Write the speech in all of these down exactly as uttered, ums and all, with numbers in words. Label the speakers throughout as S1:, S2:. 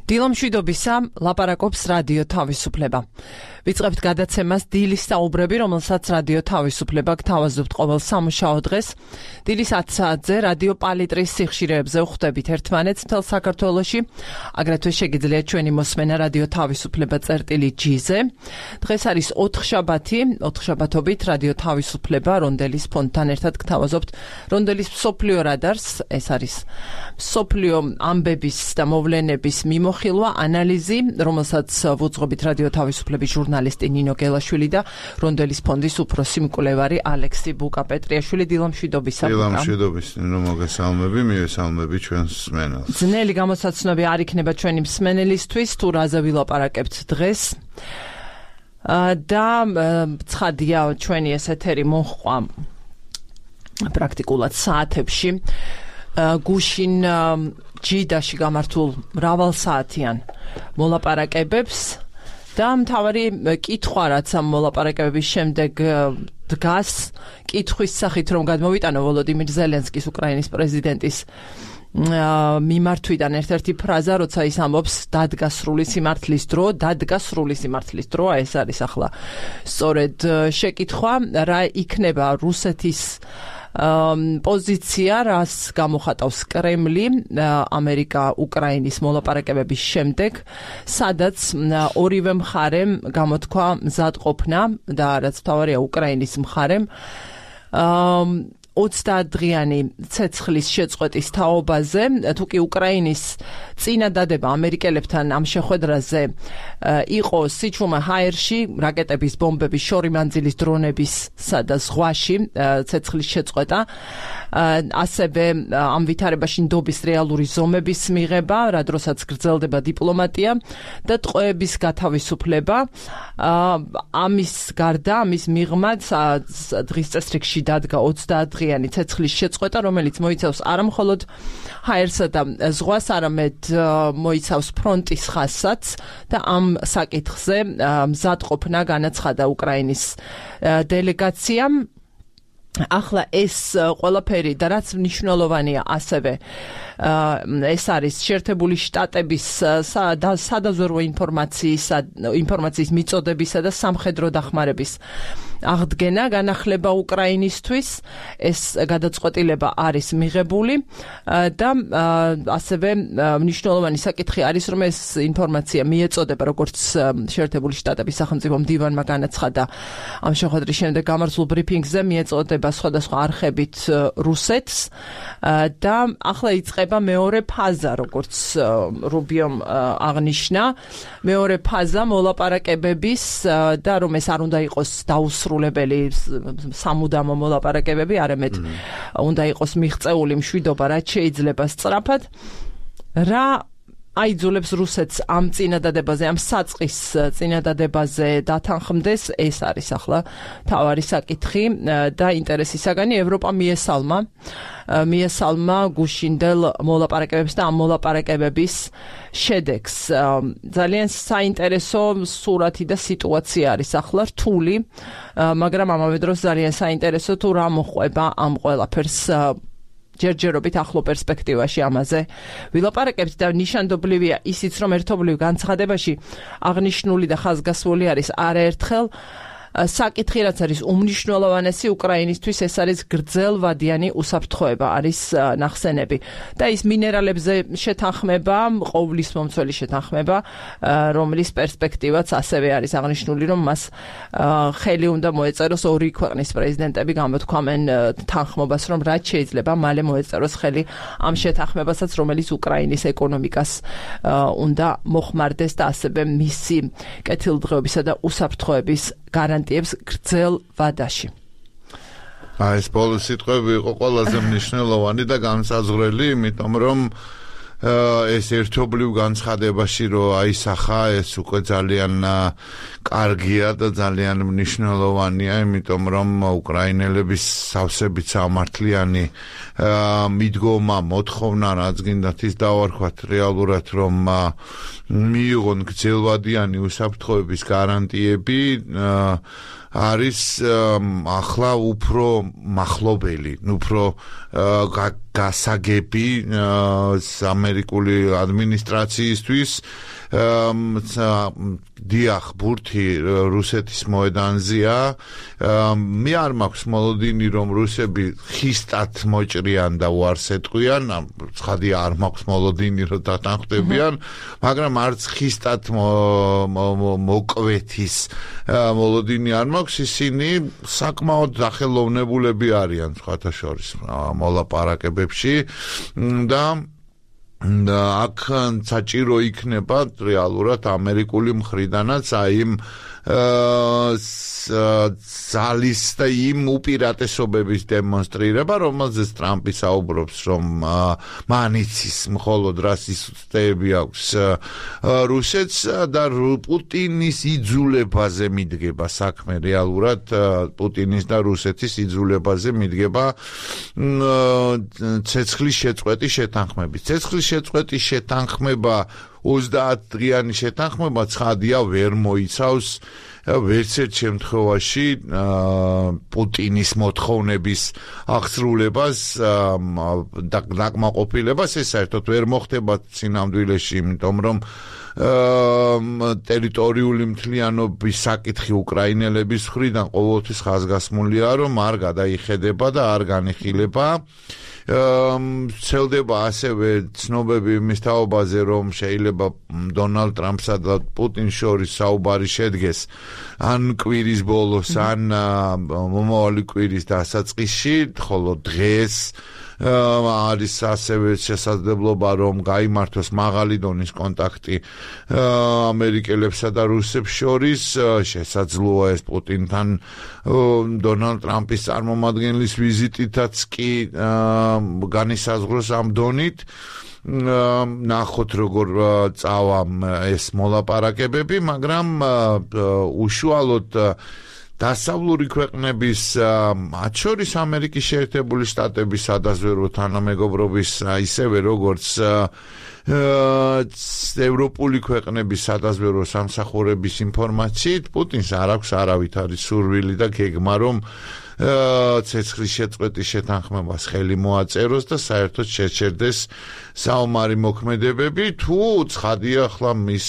S1: დილამშვიდობისა, ლაპარაკობს რადიო თავისუფლება. ვიწყებთ გადაცემას დილის საუბრები, რომელსაც რადიო თავისუფლება გთავაზობთ ყოველ სამუშაო დღეს. დილის ათ საათზე რადიო პალიტრის სიხშირეებზე ვხვდებით ერთმანეთს მთელ საქართველოში. აგრეთვე შეგიძლიათ ჩვენი მოსმენა რადიო თავისუფლება წერტილი ჯი-ზე. დღეს არის ოთხშაბათი, ოთხშაბათობით რადიო თავისუფლება რონდელის ფონდთან ერთად გთავაზობთ რონდელის მსოფლიო რადარს. ეს არის მსოფლიო ამბების და მოვლენების მიმოხილვა, ანალიზი, რომელსაც ვუძღვებით რადიო თავისუფლების ჟურნალისტი ნინო გელაშვილი და რონდელის ფონდის უფროსი მკვლევარი ალექსი ბუკა-პეტრიაშვილი. დილამშვიდობისა.
S2: დილამშვიდობის, ნინო, მოგესალმები, მივესალმები ჩვენს მსმენელს.
S1: ძნელი გამოსაცნობი არ იქნება ჩვენი მსმენელისთვის, თუ რაზე ვილაპარაკებთ დღეს. და ცხადია, ჩვენი ეს ეთერი მოჰყვა პრაქტიკულად საათებში. გუშინ ჯიდაში გამართულ მრავალსაათიან მოლაპარაკებებს და მთავარი კითხვა, რაც ამ მოლაპარაკებების შემდეგ დგას, კითხვის სახით, რომ გადმოვიტანო ვოლოდიმირ ზელენსკის, უკრაინის პრეზიდენტის მიმართვიდან ერთ-ერთი ფრაზა, როცა ის ამბობს დადგა სრული სიმართლის დრო, დადგა სრული სიმართლის დრო, ეს არის ახლა სწორედ შეკითხვა, რა იქნება რუსეთის პოზიცია, რას გამოხატავს კრემლი ამერიკა-უკრაინის მოლაპარაკებების შემდეგ, სადაც ორივე მხარემ გამოთქვა მზადყოფნა და რაც მთავარია უკრაინის მხარემ ოცდაათდღიანი ცეცხლის შეწყვეტის თაობაზე, თუკი უკრაინის წინადადება ამერიკელებთან ამ შეხვედრაზე იყო სიჩუმე ჰაერში, რაკეტების, ბომბების, შორიმანძილის დრონებისა და ზღვაში ცეცხლის შეწყვეტა, ასევე ამ ვითარებაში ნდობის რეალური ზომების მიღება, რა დროსაც გრძელდება დიპლომატია და ტყვეების გათავისუფლება. ამის გარდა, ამის მიღმად დღის წესრიგში დადგა ოცდაათდღიანი ცეცხლის შეწყვეტა, რომელიც მოიცავს არამხოლოდ ჰაერსა და ზღვას, არამედ მოიცავს ფრონტის ხაზსაც და ამ საკითხზე მზადყოფნა განაცხადა უკრაინის დელეგაციამ. ახლა ეს ყველაფერი და რაც მნიშვნელოვანია ასევე ეს არის შეერთებული შტატების სადაზვერვო ინფორმაციის ინფორმაციის მიწოდებისა და სამხედრო დახმარების აღდგენა, განახლება უკრაინისთვის. ეს გადაწყვეტილება არის მიღებული და ასევე მნიშვნელოვანი საკითხი არის, რომ ეს ინფორმაცია მიეწოდება, როგორც შეერთებული შტატების სახელმწიფო მდივანმა განაცხადა ამ შეხვედრის შემდეგ გამართულ ბრიფინგზე, მიეწოდება სხვადასხვა არხებით რუსეთს და ახლა იწყება მეორე ფაზა, როგორც რუბიომ აღნიშნა, მეორე ფაზა მოლაპარაკებების და რომ ეს არ უნდა იყოს დაუსრულებელი სამუდამო მოლაპარაკებები, არამედ უნდა იყოს მიღწეული მშვიდობა, რაც შეიძლება სწრაფად. რა აიძულებს რუსეთს ამ წინადადებაზე, ამ საწყის წინადადებაზე დათანხმდეს, ეს არის ახლა მთავარი საკითხი და ინტერესის საგანი. ევროპა მიესალმა მიესალმა გუშინდელ მოლაპარაკებებს და ამ მოლაპარაკებების შედეგს. ძალიან საინტერესო სურათი და სიტუაცია არის ახლა რთული, მაგრამ ამავე დროს ძალიან საინტერესო თუ რა მოყვება ამ ყველაფერს ჯერჯერობით ახლო პერსპექტივაში ამაზე ვილაპარაკებთ და ნიშანდობლივია ისიც, რომ ერთობლივ განცხადებაში აღნიშნული და ხაზგასმული არის არაერთხელ საკითხი, რაც არის უმნიშვნელოვანესი უკრაინისთვის, ეს არის გრძელვადიანი უსაფრთხოება, არის ნახსენები და ის მინერალებზე შეთანხმება, ყოვლის მომცველი შეთანხმება, რომლის პერსპექტივაც ასევე არის აღნიშნული, რომ მას ხელი უნდა მოეწეროს ორი ქვეყნის პრეზიდენტები, გამოთქვამენ თანხმობას, რომ რაც შეიძლება მალე მოეწეროს ხელი ამ შეთანხმებასაც, რომელიც უკრაინის ეკონომიკას უნდა მოხმარდეს და ასევე მისი კეთილდღეობისა და უსაფრთხოების გარანტიებს გრძელ ვადაში.
S2: ეს ბოლო სიტყვები იყო ყველაზე მნიშვნელოვანი და განსაზღვრელი, იმიტომ რომ ეს ერთობლივ განცხადებაში რო აისახა, ეს უკვე ძალიან კარგია და ძალიან მნიშვნელოვანია, იმიტომ რომ უკრაინელების სავსებით სამართლიანი მიდგომა, მოთხოვნა, რაც გინდათ ის დავარქვათ რეალურად, რომ მიიღონ გრძელვადიანი უსაფრთხოების გარანტიები, არის ახლა უფრო მახლობელი, უფრო გასაგები ამერიკული ადმინისტრაციისთვის დიახ ბურთი რუსეთის მოედანზეა მე არ მაქვს მოლოდინი რომ რუსები ხისტად მოჭრიან და უარს ეტყვიან ცხადია არ მაქვს მოლოდინი რომ დათანხმდებიან მაგრამ არც ხისტად მოკვეთის მოლოდინი არ მაქვს ისინი საკმაოდ დახელოვნებულები არიან სხვათა შორის მოლაპარაკებებში და და აქ საჭირო იქნება რეალურად ამერიკული მხრიდანაც აი იმ ძალის და იმ უპირატესობების დემონსტრირება, რომელზეც ტრამპი საუბრობს, რომ მანიცის მხოლოდ რას უსწრები აქვს რუსეთს და პუტინის იძულებაზე მიდგება საქმე რეალურად პუტინის და რუსეთის იძულებაზე მიდგება ცეცხლის შეწყვეტის შეთანხმებით. ცეცხლის შეწყვეტის შეთანხმება ოცდაათ დღიანი შეთანხმება ცხადია ვერ მოიცავს ვერც ერთ შემთხვევაში პუტინის მოთხოვნების აღსრულებას და დაკმაყოფილებას ეს საერთოდ ვერ მოხდება სინამდვილეში, იმიტომ რომ ტერიტორიული მთლიანობის საკითხი უკრაინელების მხრიდან ყოველთვის ხაზგასმულია, რომ არ გადაიხედება და არ განიხილება. ცელდება ასევე ცნობები იმის თაობაზე, რომ შეიძლება დონალდ ტრამპსა და პუტინს შორის საუბარი შედგეს ან კვირის ბოლოს, ან მომავალი კვირის დასაწყისში, ხოლო დღეს არის ასევე შესაძლებლობა, რომ გაიმართოს მაღალი დონის კონტაქტი ამერიკელებსა და რუსებს შორის, შესაძლოა ეს პუტინთან დონალდ ტრამპის წარმომადგენლის ვიზიტითაც კი განისაზღვროს ამ დონით. ნახოთ როგორ წავა ეს მოლაპარაკებები, მაგრამ უშუალოდ დასავლური ქვეყნების მათ შორის ამერიკის შეერთებული შტატების სადაზვერვო თანამეგობრობის ისევე როგორც ევროპული ქვეყნების სადაზვერვო სამსახურების ინფორმაციით პუტინს არ აქვს არავითარი სურვილი და გეგმა რომ ცეცხლის შეწყვეტის შეთანხმებას ხელი მოაწეროს და საერთოდ შეჩერდეს საომარი მოქმედებები თუ ცხადია ახლა მის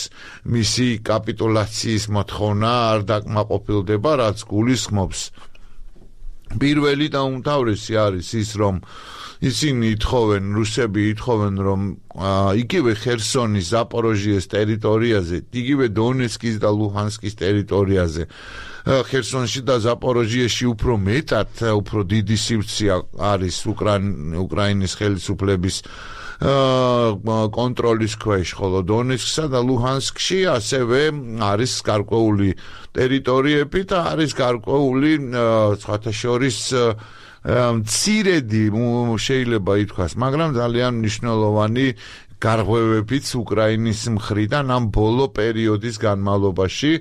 S2: მისი კაპიტულაციის მოთხოვნა არ დაკმაყოფილდება რაც გულისხმობს პირველი და უმთავრესი არის ის რომ ისინი ითხოვენ რუსები ითხოვენ რომ იგივე ხერსონის ზაპოროჟიეს ტერიტორიაზე იგივე დონეცკის და ლუჰანსკის ტერიტორიაზე ხერსონში და ზაპოროჟიეში უფრო მეტად უფრო დიდი სივრცე არის უკრაინის ხელისუფლების კონტროლის ქვეშ, ხოლო დონეცკსა და ლუჰანსკში ასევე არის გარკვეული ტერიტორიები და არის გარკვეული სხვათა შორის მცირედი შეიძლება ითქვას, მაგრამ ძალიან მნიშვნელოვანი გარღვევებიც უკრაინის მხრიდან ამ ბოლო პერიოდის განმავლობაში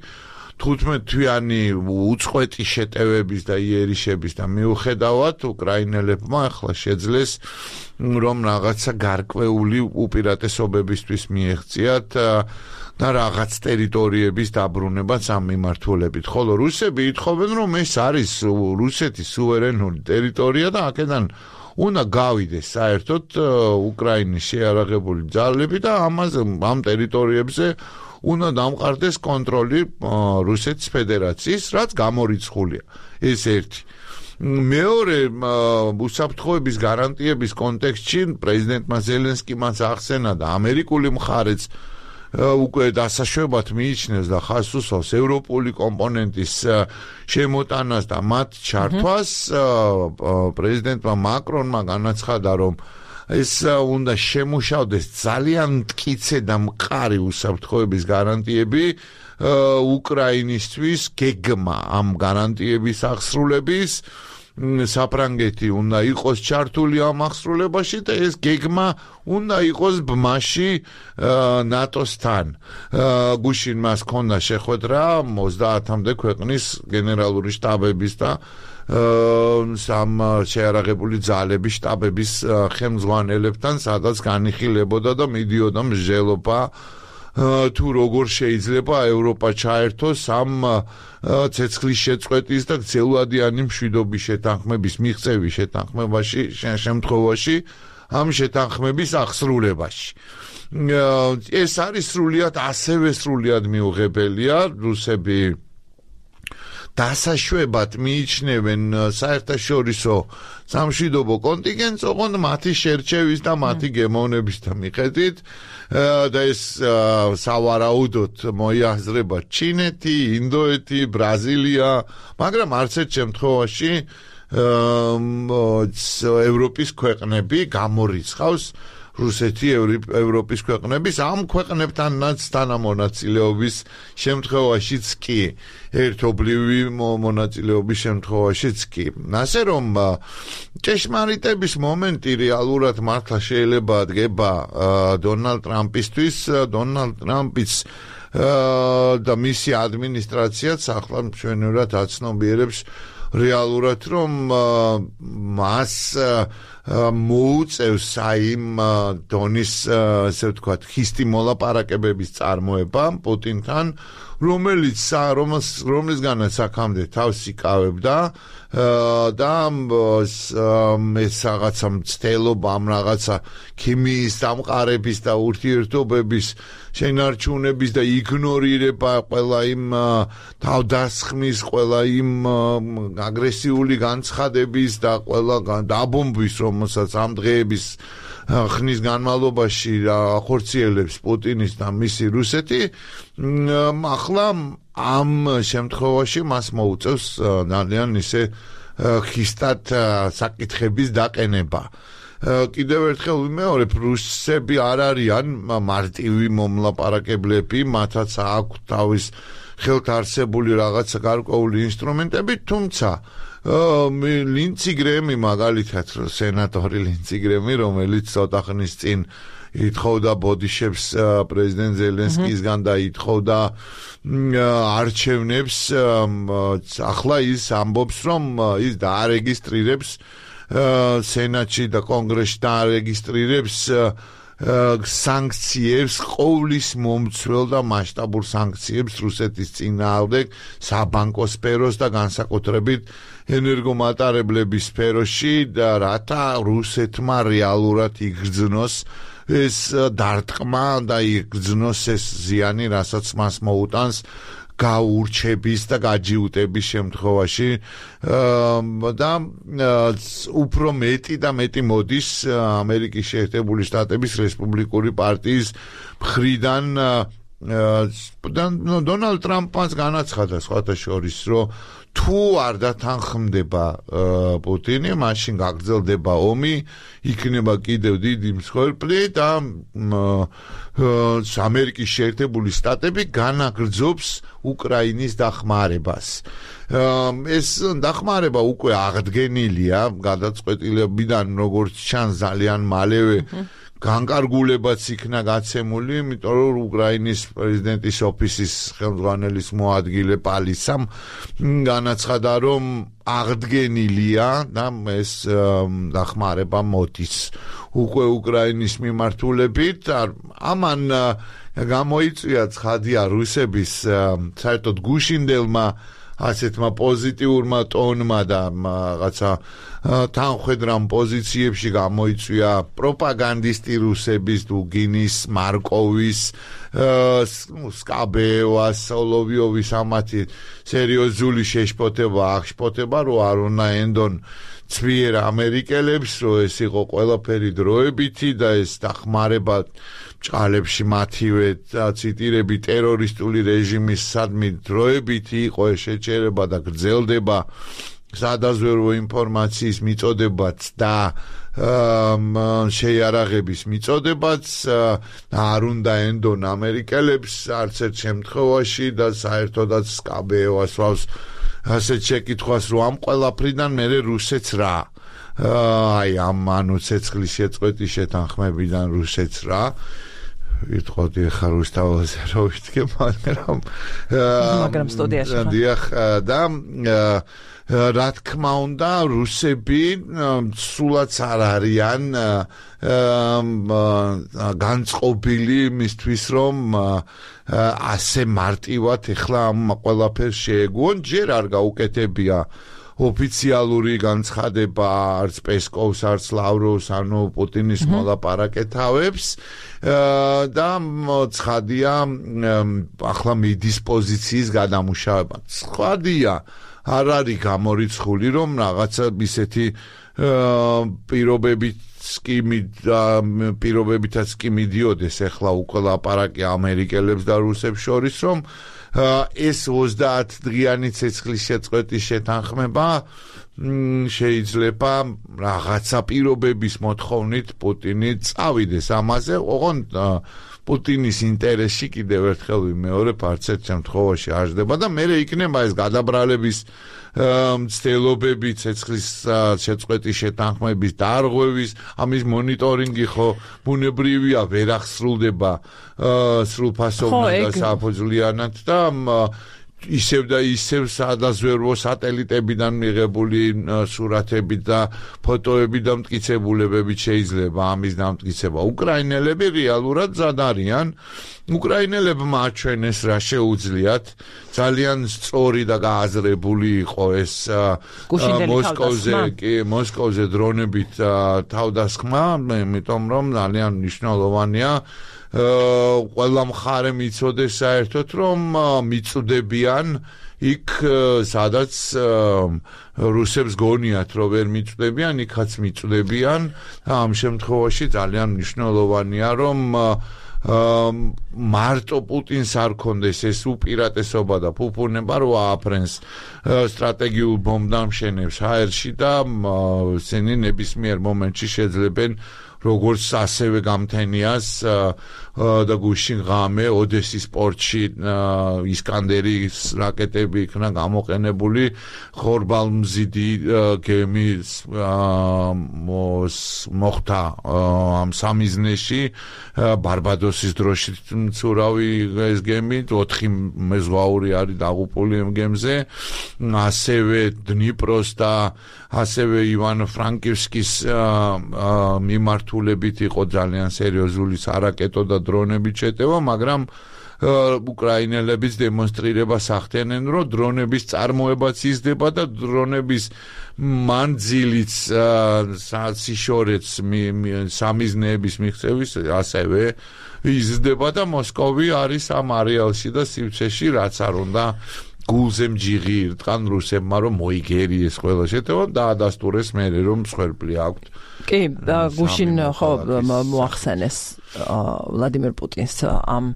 S2: თხუთმეტ-თვიანი უწყვეტი შეტევების და იერიშების და მიუხედავად უკრაინელებმა ახლა შეძლეს რომ რაღაცა გარკვეული უპირატესობებისთვის მიეღწიათ და რაღაც ტერიტორიების დაბრუნებაც ამ მიმართულებით. ხოლო რუსები ითხოვენ რომ ეს არის რუსეთის სუვერენული ტერიტორია და აქედან უნდა გავიდეს საერთოდ უკრაინის შეიარაღებული ძალები და ამაზე ამ ტერიტორიებზე უნდა დამყარდეს კონტროლი რუსეთის ფედერაციის, რაც გამორიცხულია. ეს ერთი. მეორე უსაფრთხოების გარანტიების კონტექსტში პრეზიდენტმა ზელენსკიმაც ახსენა და ამერიკული მხარეც უკვე დასაშვებად მიიჩნევს და ხაზს უსვავს ევროპული კომპონენტის შემოტანას და მათ ჩართვას. პრეზიდენტმა მაკრონმა განაცხადა, რომ ეს უნდა შემუშავდეს ძალიან მტკიცე და მყარი უსაფრთხოების გარანტიები უკრაინისთვის გეგმა ამ გარანტიების აღსრულების საფრანგეთი უნდა იყოს ჩართული ამ აღსრულებაში და ეს გეგმა უნდა იყოს ბმაში ნატოსთან. გუშინ მას ჰქონდა შეხვედრა ოცდაათამდე ქვეყნის გენერალური შტაბების და სამ შეიარაღებული ძალების შტაბების ხელმძღვანელებთან, სადაც განიხილებოდა და მიდიოდა მსჯელობა თუ როგორ შეიძლება ევროპა ჩაერთოს ამ ცეცხლის შეწყვეტის და გრძელვადიანი მშვიდობის შეთანხმების მიღწევის შეთანხმებაში შემთხვევაში ამ შეთანხმების აღსრულებაში. ეს არის სრულიად ასევე სრულიად მიუღებელია, რუსები დასაშვებად მიიჩნევენ საერთაშორისო სამშვიდობო კონტინგენტს, ოღონდ მათი შერჩევის და მათი გემოვნების მიხედვით და ეს სავარაუდოდ მოიაზრება ჩინეთი, ინდოეთი, ბრაზილია, მაგრამ არც ერთ შემთხვევაში ევროპის ქვეყნები გამორიცხავს რუსეთი ევროპის ქვეყნების ამ ქვეყნებთანაც თანამონაწილეობის შემთხვევაშიც კი ერთობლივი მონაწილეობის შემთხვევაშიც კი. ასე რომ ჭეშმარიტების მომენტი რეალურად მართლა შეიძლება დგება დონალდ ტრამპისთვის, დონალდ ტრამპის და მისი ადმინისტრაციაც ახლა მშვენივრად აცნობიერებს რეალურად რომ მას მოუწევს აიმ დონის ასე ვთქვათ ხისტი მოლაპარაკებების წარმოება პუტინთან, რომელიც რომლისგანაც აქამდე თავს იკავებდა და ეს რაღაცა მცდელობა ამ რაღაცა ქიმიის დამყარების და ურთიერთობების შენარჩუნების და იგნორირება ყველა იმ თავდასხმის, ყველა იმ აგრესიული განცხადების და ყველა დაბომბვის, რომელსაც ამ დღეების ხნის განმავლობაში ახორციელებს პუტინის და მისი რუსეთი, ახლა ამ შემთხვევაში მას მოუწევს ძალიან ისე ხისტად საკითხების დაყენება. კიდევ ერთხელ ვიმეორებ, რუსები არ არიან მარტივი მომლაპარაკებლები, მათაც აქვს თავის ხელთ არსებული რაღაცა გარკვეული ინსტრუმენტები, თუმცა ლინცი გრემი მაგალითად სენატორი ლინცი გრემი, რომელიც ცოტა ხნის წინ ითხოვდა ბოდიშებს პრეზიდენტ ზელენსკისგან და ითხოვდა არჩევნებს, ახლა ის ამბობს, რომ ის დაარეგისტრირებს სენატში და კონგრესში დაარეგისტრირებს სანქციებს, ყოვლის მომცველ და მასშტაბურ სანქციებს რუსეთის წინააღმდეგ საბანკო სფეროს და განსაკუთრებით ენერგომატარებლების სფეროში და რათა რუსეთმა რეალურად იგრძნოს ეს დარტყმა და იგრძნოს ეს ზიანი, რასაც მას მოუტანს გაურჩების და გაჯიუტების შემთხვევაში და უფრო მეტი და მეტი მოდის ამერიკის შეერთებული შტატების რესპუბლიკური პარტიის მხრიდან დონალდ ტრამპს განაცხადა სხვათა შორის, რომ თუ არ დათანხმდება პუტინი, მაშინ გაგრძელდება ომი, იქნება კიდევ დიდი მსხვერპლი და ამერიკის შეერთებული შტატები განაგრძობს უკრაინის დახმარებას. ეს დახმარება უკვე აღდგენილია გადაწყვეტილებიდან, როგორც ჩანს ძალიან მალევე განკარგულებაც იქნა გაცემული, იმიტომ რომ უკრაინის პრეზიდენტის ოფისის ხელმძღვანელის მოადგილე პალისამ განაცხადა, რომ აღდგენილია და ეს დახმარება მოდის უკვე უკრაინის მიმართულებით. ამან გამოიწვია ცხადია რუსების საერთოდ გუშინდელმა ასეთმა პოზიტიურმა ტონმა და რაღაცა თანხვედრამ პოზიციებში გამოიწვია პროპაგანდისტი რუსების, დუგინის, მარკოვის, სკაბეევას, სოლოვიოვის ამათი სერიოზული შეშფოთება, აღშფოთება, რომ არ უნდა ენდონ ცვიერ ამერიკელებს, რომ ეს იყო ყველაფერი დროებითი და ეს დახმარება ჭალებში მათივე ციტირები ტერორისტული რეჟიმის სადმი დროებითი იყო ეს შეჭერება და გრძელდება სადაზვერვო ინფორმაციის მიწოდებაც და შეიარაღების მიწოდებაც არ უნდა ენდონ ამერიკელებს არც ერთ შემთხვევაში და საერთოდაც სკაბეევას ვავს ასეთ შეკითხვას, რომ ამ ყველაფრიდან მერე რუსეთს რა აი ამ ანუ ცეცხლის შეწყვეტის შეთანხმებიდან რუსეთს რა ვიტყოდი ხა რუსთავაზე რომ ვიტყვი, მაგრამ
S1: მაგრამ სტუდიაში
S2: დიახ და რა თქმა უნდა რუსები სულაც არ არიან განწყობილი მისთვის, რომ ასე მარტივად ეხლა ამ ყველაფერს შეეგუონ, ჯერ არ გაუკეთებია ოფიციალური განცხადება არც პესკოვს, არც ლავროვს, ანუ პუტინის მოლაპარაკეთავებს და ცხადია ახლა მიდის პოზიციის გადამუშავება. ცხადია არ არის გამორიცხული, რომ რაღაცა ისეთი პირობებით პირობებითაც კი მიდიოდეს ახლა უკვე ლაპარაკი ამერიკელებს და რუსებს შორის, რომ ეს ოცდაათ დღიანი ცეცხლის შეწყვეტის შეთანხმება შეიძლება რაღაცა პირობების მოთხოვნით პუტინი წავიდეს ამაზე, ოღონდ პუტინის ინტერესში კიდევ ერთხელ ვიმეორებ, არც ერთ შემთხვევაში არ ჯდება და მერე იქნება ეს გადაბრალების მცდელობები, ცეცხლის შეწყვეტის შეთანხმების დარღვევის, ამის მონიტორინგი ხო ბუნებრივია, ვერ აღსრულდება სრულფასოვნად და საფუძვლიანად და ისევ და ისევ სადაზვერვო სატელიტებიდან მიღებული სურათები და ფოტოები და მტკიცებულებებით შეიძლება ამის დამტკიცება. უკრაინელები რეალურად მზად არიან. უკრაინელებმა აჩვენეს რა შეუძლიათ. ძალიან სწორი და გააზრებული იყო ეს მოსკოვზე, კი, მოსკოვზე დრონებით თავდასხმა, იმიტომ რომ ძალიან მნიშვნელოვანია ყველა მხარე მიცოდეს საერთოდ რომ მიწვდებიან იქ სადაც რუსებს გონიათ რომ ვერ მიწვდებიან, იქაც მიწვდებიან. ამ შემთხვევაში ძალიან მნიშვნელოვანია რომ მარტო პუტინს არ კონდეს ეს უპირატესობა და ფუფუნება რომ ააფრენს სტრატეგიულ ბომბდამშენებს ჰაერში და ისინი ნებისმიერ მომენტში შეძლებენ როგორც ასევე გამთენიას და გუშინ ღამე ოდესის პორტში ისკანდერის რაკეტები იქნა გამოყენებული ხორბალმზიდი გემის მოხდა ამ სამიზნეში ბარბადოსის დროშით მცურავი ეს გემი ოთხი მეზღვაური არის დაღუპული ამ გემზე ასევე დნიპროს და ასევე ივანო-ფრანკივსკის მიმართულებით იყო ძალიან სერიოზული არაკეტო და დრონებით შეტევა, მაგრამ უკრაინელებიც დემონსტრირებას ახდენენ, რომ დრონების წარმოებაც იზრდება და დრონების მანძილიც საშორეც სამიზნეების მიღწევის ასევე იზრდება და მოსკოვი არის ამ არეალში და სივრცეში, რაც არ უნდა გულზე მჯიღი ირტყან რუსებმა რომ მოიგერიეს ყველა შეტევა და ადასტურეს მერე რომ მსხვერპლი აქვთ.
S1: კი, გუშინ ხო მოახსენეს ვლადიმერ პუტინს ამ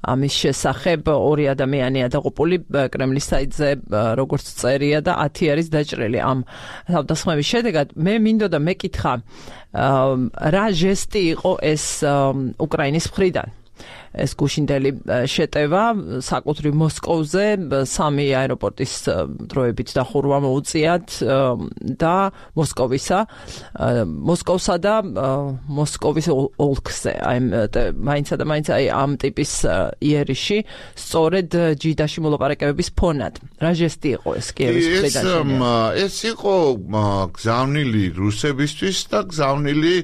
S1: ამის შესახებ ორი ადამიანია დაღუპული კრემლის საიტზე როგორც წერია და ათი არის დაჭრილი ამ თავდასხმების შედეგად. მე მინდოდა მეკითხა რა ჟესტი იყო ეს უკრაინის მხრიდან ეს გუშინდელი შეტევა საკუთრივ მოსკოვზე სამი აეროპორტის დროებით დახურვა მოუწიათ და მოსკოვისა მოსკოვსა და მოსკოვის ოლქზე აი მაინცა და მაინც აი ამ ტიპის იერიში სწორედ ჯიდაში მოლაპარაკებების ფონად რა ჟესტი იყო ეს კიევის მხრიდან
S2: ეს იყო გზავნილი რუსებისთვის და გზავნილი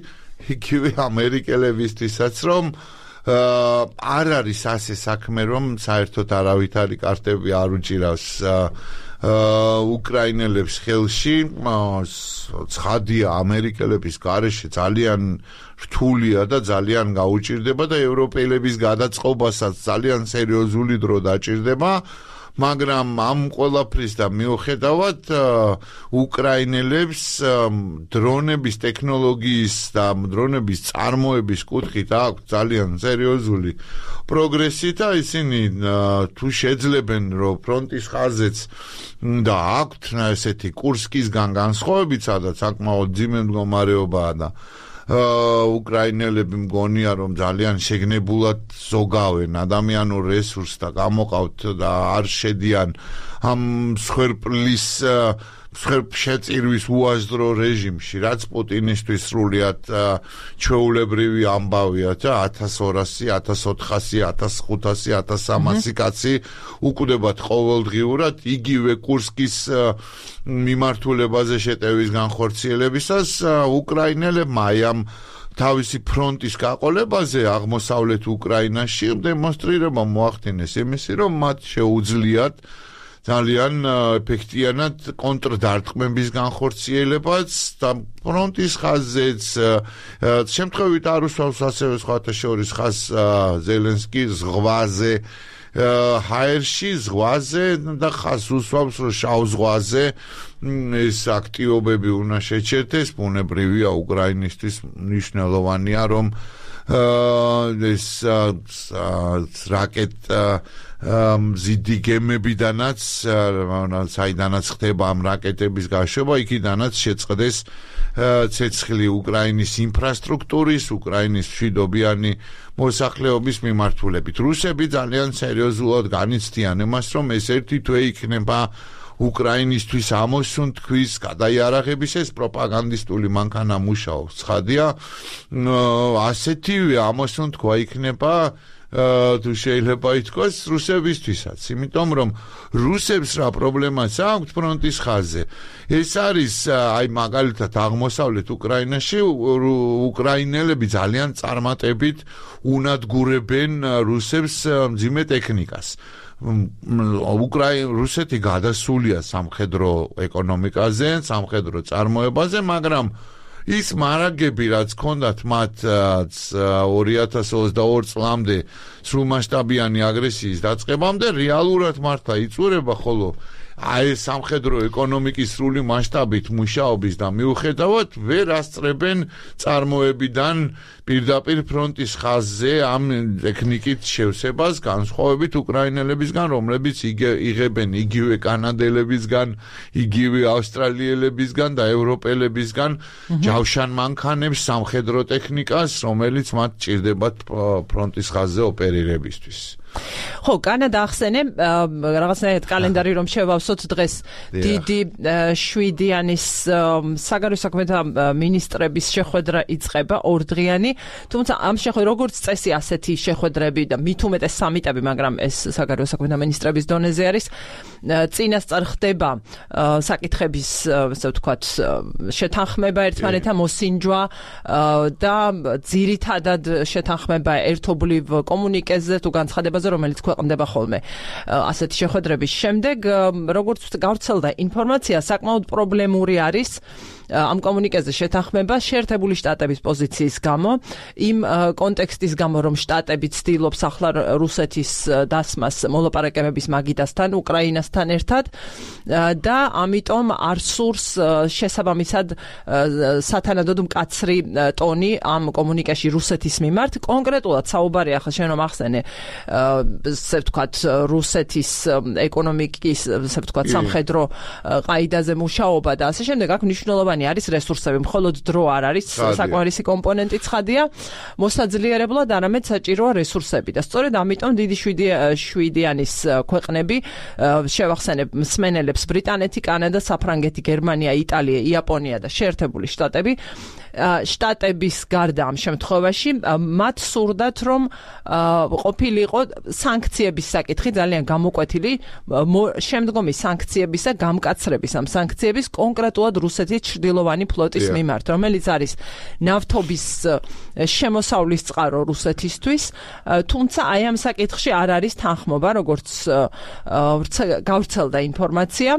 S2: იგივე ამერიკელებისთვისაც რომ არ არის ასე საქმე რომ საერთოდ არავითარი კარტები არ უჭირავს უკრაინელებს ხელში ცხადია ამერიკელების გარეშე ძალიან რთულია და ძალიან გაუჭირდება და ევროპელების გადაწყობასაც ძალიან სერიოზული დრო დაჭირდება მაგრამ ამ ყველაფრის და მიუხედავად უკრაინელებს დრონების ტექნოლოგიის და დრონების წარმოების კუთხით აქვს ძალიან სერიოზული პროგრესი და ისინი თუ შეძლებენ რომ ფრონტის ხაზეც და აქვთ ესეთი კურსკისგან განსხვავებით სადაც საკმაოდ ძიმე მდგომარეობაა და უკრაინელები მგონია რომ ძალიან შეგნებულად ზოგავენ ადამიანურ რესურსს და გამოყავთ და არ შედიან ამ მსხვერპლის მსხვერპლშეწირვის უაზრო რეჟიმში რაც პუტინისთვის სრულიად ჩვეულებრივი ამბავია და ათას ორასი, ათას ოთხასი, ათას ხუთასი, ათას სამასი კაცი უკვდებათ ყოველდღიურად იგივე კურსკის მიმართულებაზე შეტევის განხორციელებისას უკრაინელებმა აი ამ თავისი ფრონტის გაყოლებაზე აღმოსავლეთ უკრაინაში დემონსტრირება მოახდინეს იმისი რომ მათ შეუძლიათ ძალიან ეფექტიანად კონტრდარტყმების განხორციელებაც და ფრონტის ხაზზეც შემთხვევით არ უსვამს ასევე სხვათა შორის ხაზ ზელენსკის ზღვაზე ჰაერში ზღვაზე და ხაზს უსვამს რომ შავ ზღვაზე ეს აქტივობები უნდა შეჩერდეს ბუნებრივია უკრაინისთვის მნიშვნელოვანია რომ ეს რაკეტ მზიდი გემებიდანაც საიდანაც ხდება ამ რაკეტების გაშვება იქიდანაც შეწყდეს ცეცხლი უკრაინის ინფრასტრუქტურის უკრაინის მშვიდობიანი მოსახლეობის მიმართულებით რუსები ძალიან სერიოზულად განიცდიან იმას რომ ეს ერთი თვე იქნება უკრაინისთვის ამოსუნთქვის გადაიარაღების ეს პროპაგანდისტული მანქანა მუშაობს ცხადია ასეთივე ამოსუნთქვა იქნება თუ შეიძლება ითქვას რუსებისთვისაც იმიტომ რომ რუსებს რა პრობლემაც აქვს ფრონტის ხაზზე ეს არის აი მაგალითად აღმოსავლეთ უკრაინაში უკრაინელები ძალიან წარმატებით უნადგურებენ რუსებს მძიმე ტექნიკას უკრაინა რუსეთი გადასულია სამხედრო ეკონომიკაზე სამხედრო წარმოებაზე მაგრამ ის მარაგები რაც ქონდათ მათ ორი ათას ოცდაორი წლამდე სრულმასშტაბიანი აგრესიის დაწყებამდე რეალურად მართლა იწურება ხოლო აი სამხედრო ეკონომიკის სრული მასშტაბით მუშაობის და მიუხედავად ვერ ასწრებენ წარმოებიდან პირდაპირ ფრონტის ხაზზე ამ ტექნიკით შევსებას განსხვავებით უკრაინელებისგან რომლებიც იღებენ იგივე კანადელებისგან იგივე ავსტრალიელებისგან და ევროპელებისგან ჯავშან მანქანებს სამხედრო ტექნიკას რომელიც მათ ჭირდებათ ფრონტის ხაზზე ოპერირებისთვის
S1: ხო, კანადა ახსენე რაღაცნაირად კალენდარი რომ შევავსოთ დღეს დიდი შვიდიანის საგარეო საქმეთა მინისტრების შეხვედრა იწყება ორდღიანი, თუმცა ამ შეხვედრა როგორც წესი ასეთი შეხვედრები და მით უმეტეს სამიტები, მაგრამ ეს საგარეო საქმეთა მინისტრების დონეზე არის, წინასწარ ხდება საკითხების, ასე ვთქვათ, შეთანხმება ერთმანეთთან მოსინჯვა და ძირითადად შეთანხმება ერთობლივ კომუნიკეზე თუ განცხადებაზე რომელიც ქვეყნდება ხოლმე ასეთი შეხვედრების შემდეგ როგორც გავრცელდა ინფორმაცია საკმაოდ პრობლემური არის ამ კომუნიკეზე შეთანხმება შეერთებული შტატების პოზიციის გამო იმ კონტექსტის გამო რომ შტატები ცდილობს ახლა რუსეთის დასმას მოლაპარაკებების მაგიდასთან უკრაინასთან ერთად და ამიტომ არ სურს შესაბამისად სათანადოდ მკაცრი ტონი ამ კომუნიკეში რუსეთის მიმართ კონკრეტულად საუბარი ახლა შენ რომ ახსენე ასე ვთქვათ რუსეთის ეკონომიკის ასე ვთქვათ სამხედრო ყაიდაზე მუშაობა და ასე შემდეგ აქ მნიშვნელოვანი არის რესურსები, მხოლოდ დრო არ არის საკმარისი კომპონენტი ცხადია, მოსაძლიერებლად არამედ საჭიროა რესურსები და სწორედ ამიტომ დიდი შვიდიანის ქვეყნები შევახსენებ მსმენელებს ბრიტანეთი, კანადა, საფრანგეთი, გერმანია, იტალია, იაპონია და შეერთებული შტატები შტატების გარდა ამ შემთხვევაში მათ სურდათ რომ ყოფილიყო სანქციების საკითხი ძალიან გამოკვეთილი შემდგომი სანქციებისა გამკაცრების ამ სანქციების კონკრეტულად რუსეთის ჩრდილოვანი ფლოტის მიმართ რომელიც არის ნავთობის შემოსავლის წყარო რუსეთისთვის თუმცა აი ამ საკითხში არ არის თანხმობა როგორც გავრცელდა ინფორმაცია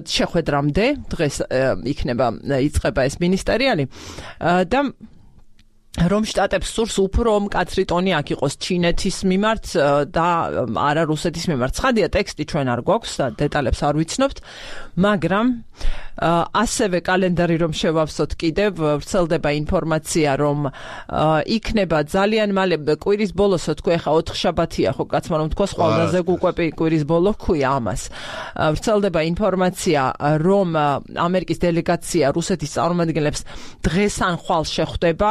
S1: შეხვედრამდე დღეს იქნება იწყება ეს მინისტერიალი და რომ შტატებს სურს უფრო მკაცრი ტონი აქ იყოს ჩინეთის მიმართ და არა რუსეთის მიმართ. ცხადია ტექსტი ჩვენ არ გვაქვს და დეტალებს არ ვიცნობთ, მაგრამ ასევე კალენდარი რომ შევავსოთ კიდევ ვრცელდება ინფორმაცია რომ იქნება ძალიან მალე კვირის ბოლოს თქვი ახლა ოთხშაბათია ხო კაცმა რომ თქვა ყველაზე გუკვები კვირის ბოლო ქვია ამას ვრცელდება ინფორმაცია რომ ამერიკის დელეგაცია რუსეთის წარმომადგენლებს დღეს ან ხვალ შეხვდება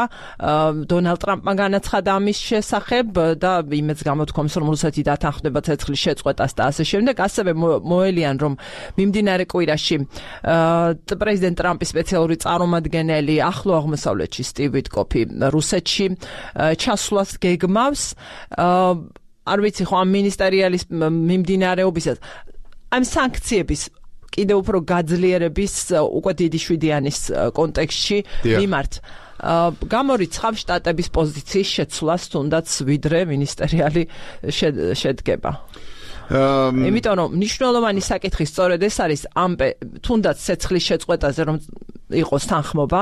S1: დონალდ ტრამპმა განაცხადა ამის შესახებ და იმედს გამოთქვამს რომ რუსეთი დათანხმდება ცეცხლის შეწყვეტას და ასე შემდეგ ასევე მოელიან რომ მიმდინარე კვირაში პრეზიდენტ ტრამპის სპეციალური წარმომადგენელი ახლო აღმოსავლეთში სტივ ვიტკოფი რუსეთში ჩასვლას გეგმავს არ ვიცი ხო ამ მინისტერიალის მიმდინარეობისას ამ სანქციების კიდევ უფრო გაძლიერების უკვე დიდი შვიდიანის კონტექსტში მიმართ გამორიცხავ შტატების პოზიციის შეცვლას თუნდაც ვიდრე მინისტერიალი შედგება იმიტომ რომ მნიშვნელოვანი საკითხი სწორედ ეს არის ამ თუნდაც ცეცხლის შეწყვეტაზე რომ იყოს თანხმობა,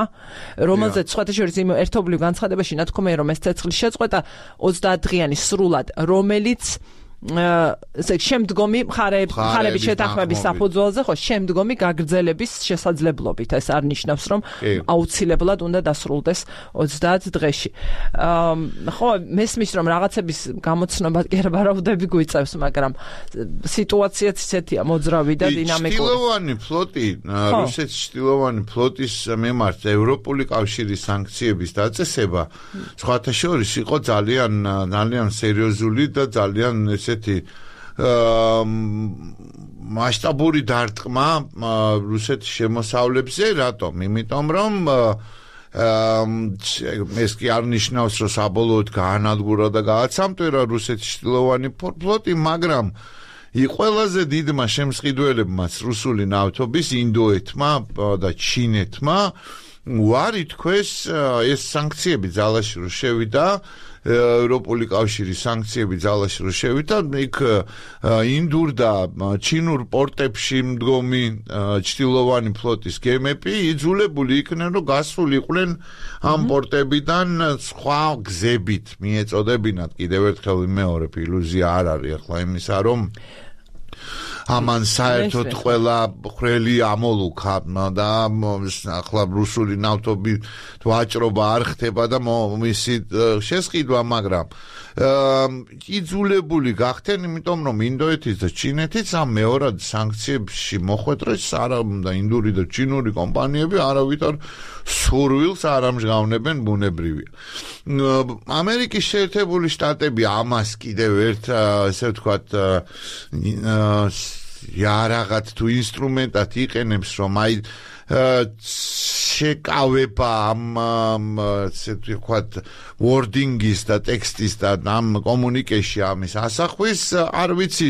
S1: რომელზეც სხვათა შორის იმ ერთობლივ განცხადებაში ნათქვამია რომ ეს ცეცხლის შეწყვეტა ოცდაათ დღიანი სრულად, რომელიც ესე შემდგომი მხარეების შეთანხმების საფუძველზე ხო შემდგომი გაგრძელების შესაძლებლობით ეს არ ნიშნავს რომ აუცილებლად უნდა დასრულდეს ოცდაათ დღეში. ხო მესმის რომ რაღაცების გამოცნობა კი არა ვარაუდები გვიწევს, მაგრამ სიტუაციაც ისეთია მოძრავი და დინამიკური.
S2: ჩtildeოვანი ფლოტი, რუსეთის ჩtildeოვანი ფლოტის მიმართ ევროპული კავშირის სანქციების დაწესება სხვათა შორის იყო ძალიან ძალიან სერიოზული და ძალიან ესეთი მასშტაბური დარტყმა რუსეთის შემოსავლებზე, რატომ? იმიტომ რომ ეს კი არ ნიშნავს რომ საბოლოოდ გაანადგურა და გააცამტვირა რუსეთის ჩtildeოვანი ფლოტი, მაგრამ ყველაზე დიდმა შემსყიდველებმაც რუსული ნავთობის ინდოეთმა და ჩინეთმა უარი თქვეს ეს სანქციები ძალაში რო შევიდა, ევროპული კავშირის სანქციები ძალაში რო შევიდა, იქ ინდურ და ჩინურ პორტებში მდგომი ჩtildeოვანი ფლოტის გემები იძულებული იქნენ რომ გასულიყვნენ ამ პორტებიდან სხვა გზებით მიეწოდებინათ. კიდევ ერთხელ ვიმეორებ, iluzia არ არის ახლა იმისა რომ ამან საერთოდ ყველა ხრელი ამოლუქა და ახლა რუსული ნავთობი ვაჭრობა არ ხდება და მისი შესყიდვა, მაგრამ იძულებული გახდნენ, იმიტომ რომ ინდოეთის და ჩინეთის ამ მეორად სანქციებში მოხვედრეს არა და ინდური და ჩინური კომპანიები არავითარ სურვილს არ ამჟღავნებენ, ბუნებრივია. ამერიკის შეერთებული შტატები ამას კიდევ ერთ ესე ვთქვათ იარაღად თუ ინსტრუმენტად იყენებს, რომ აი შეკავება ამ ესე ვთქვათ wording-ის და ტექსტის და ამ კომუნიკეში ამის ასახვის, არ ვიცი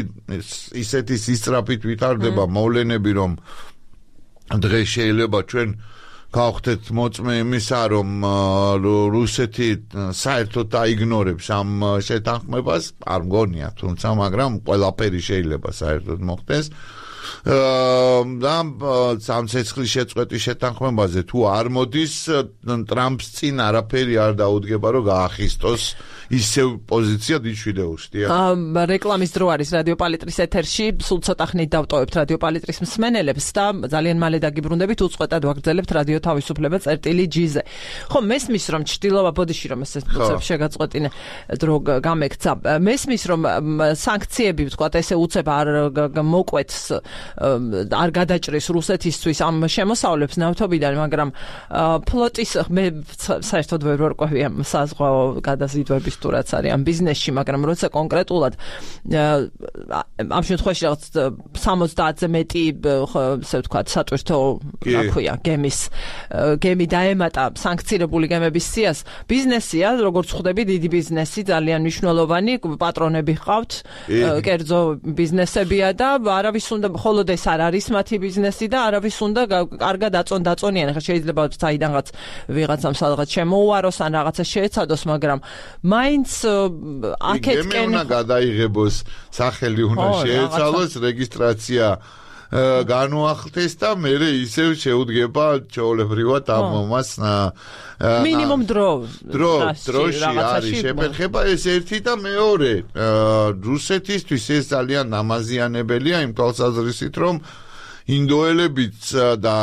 S2: ისეთი სისწრაფით ვითარდება მოვლენები, რომ დღეს შეიძლება ჩვენ გავხდეთ მოწმე იმისა, რომ რუსეთი საერთოდ დაიგნორებს ამ შეთანხმებას, არ მგონია, თუმცა მაგრამ ყველაფერი შეიძლება საერთოდ მოხდეს. და ამ ცეცხლის შეწყვეტის შეთანხმებაზე თუ არ მოდის, ტრამპს წინ არაფერი არ დაუდგება რომ გაახისტოს ისევ პოზიცია დიჩვიდეუსტია.
S1: რეკლამის დრო არის რადიო პალიტრის ეთერში, სულ ცოტა ხნით დავტოვებთ რადიო პალიტრის მსმენელებს და ძალიან მალე დაგიბრუნდებით, უწყვეტად ვაგრძელებთ რადიო თავისუფლება წერტილი ჯი-ზე. ხო, მესმის რომ ჩtildeოვა ბოდიში რომ ეს უცებ შეგაწყვეტინე დრო გამექცა. მესმის რომ სანქციები ვთქვათ ესე უცებ არ მოკვეთს, არ გადაჭრის რუსეთისთვის ამ შემოსავლებს ნავთობიდან, მაგრამ ფლოტის მე საერთოდ ვერ ვარკვევი ამ საზღვაო გადაზიდვების თუ რაც არის ამ ბიზნესში, მაგრამ როცა კონკრეტულად ამ შემთხვევაში რაღაც სამოცდაათზე მეტი ესე ვთქვათ სატვირთო რა ქვია გემის გემი დაემატა სანქცირებული გემების სიას, ბიზნესია, როგორც ხვდები, დიდი ბიზნესი, ძალიან მნიშვნელოვანი, პატრონები ჰყავთ, კერძო ბიზნესებია და არავის უნდა მხოლოდ ეს არ არის მათი ბიზნესი და არავის უნდა კარგად აწონ დაწონიან. ხა შეიძლება საიდანღაც ვიღაცამ სადღაც შემოუაროს ან რაღაცა შეეცადოს, მაგრამ მაინც აქეთკენ
S2: უნდა გადაიღებოს, სახელი უნდა შეეცალოს, რეგისტრაცია განუახლდეს და მერე ისევ შეუდგება ჩვეულებრივად ამ მომას
S1: მინიმუმ დრო
S2: დრო დროში არის შეფერხება. ეს ერთი და მეორე, რუსეთისთვის ეს ძალიან დამაზიანებელია იმ თვალსაზრისით, რომ ინდოელებიც და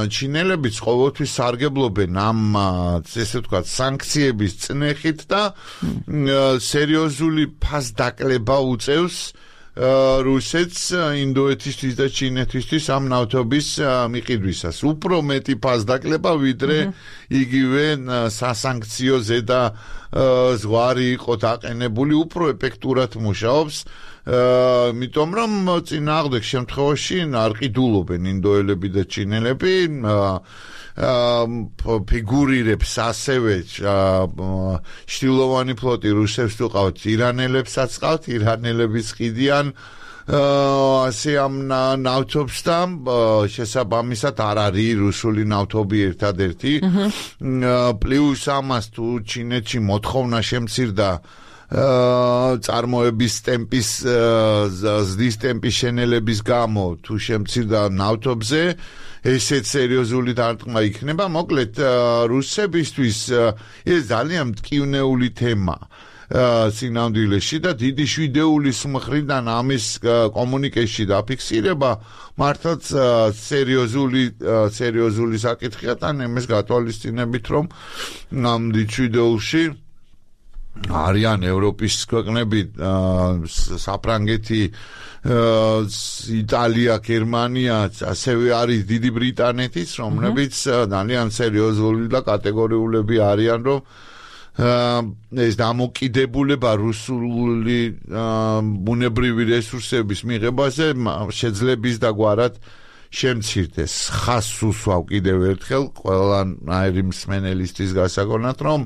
S2: ჩინელებიც ყოველთვის სარგებლობენ ამ ესე ვთქვათ სანქციების წნეხით და სერიოზული ფასდაკლება უწევს რუსეთს ინდოეთისთვის და ჩინეთისთვის ამ ნავთობის მიყიდვისას. უფრო მეტი ფასდაკლება, ვიდრე იგივე სასანქციო ზედა ზღვარი იყო დაყენებული, უფრო ეფექტურად მუშაობს. იმიტომ რომ წინააღმდეგ შემთხვევაში არ ყიდულობენ ინდოელები და ჩინელები, ფიგურირებს ასევე ჩtildeოვანი ფლოტი რუსებს უყავთ, ირანელებსაც ყავთ, ირანელებიც ყიდიან ასე ამ ნავთობს და შესაბამისად არ არის რუსული ნავთობი ერთადერთი. პლუს ამას თუ ჩინეთში მოთხოვნა შემცირდა წარმოების ტემპის ზრდის ტემპის შენელების გამო თუ შემცირდა ნავთობზე ესეც სერიოზული დარტყმა იქნება. მოკლედ რუსებისთვის ეს ძალიან მტკივნეული თემა სინამდვილეში და დიდი შვიდეულის მხრიდან ამის კომუნიკეში დაფიქსირება მართლაც სერიოზული სერიოზული საკითხია და იმის გათვალისწინებით რომ ამ დიდ შვიდეულში არიან ევროპის ქვეყნები საფრანგეთი იტალია გერმანია ასევე არის დიდი ბრიტანეთის რომლებიც ძალიან სერიოზული და კატეგორიულები არიან რომ ეს დამოკიდებულება რუსული ბუნებრივი რესურსების მიღებაზე შეძლების და გვარად შემცირდეს. ხას უსვავ კიდევ ერთხელ ყველანაირი მსმენელისთვის გასაგონად რომ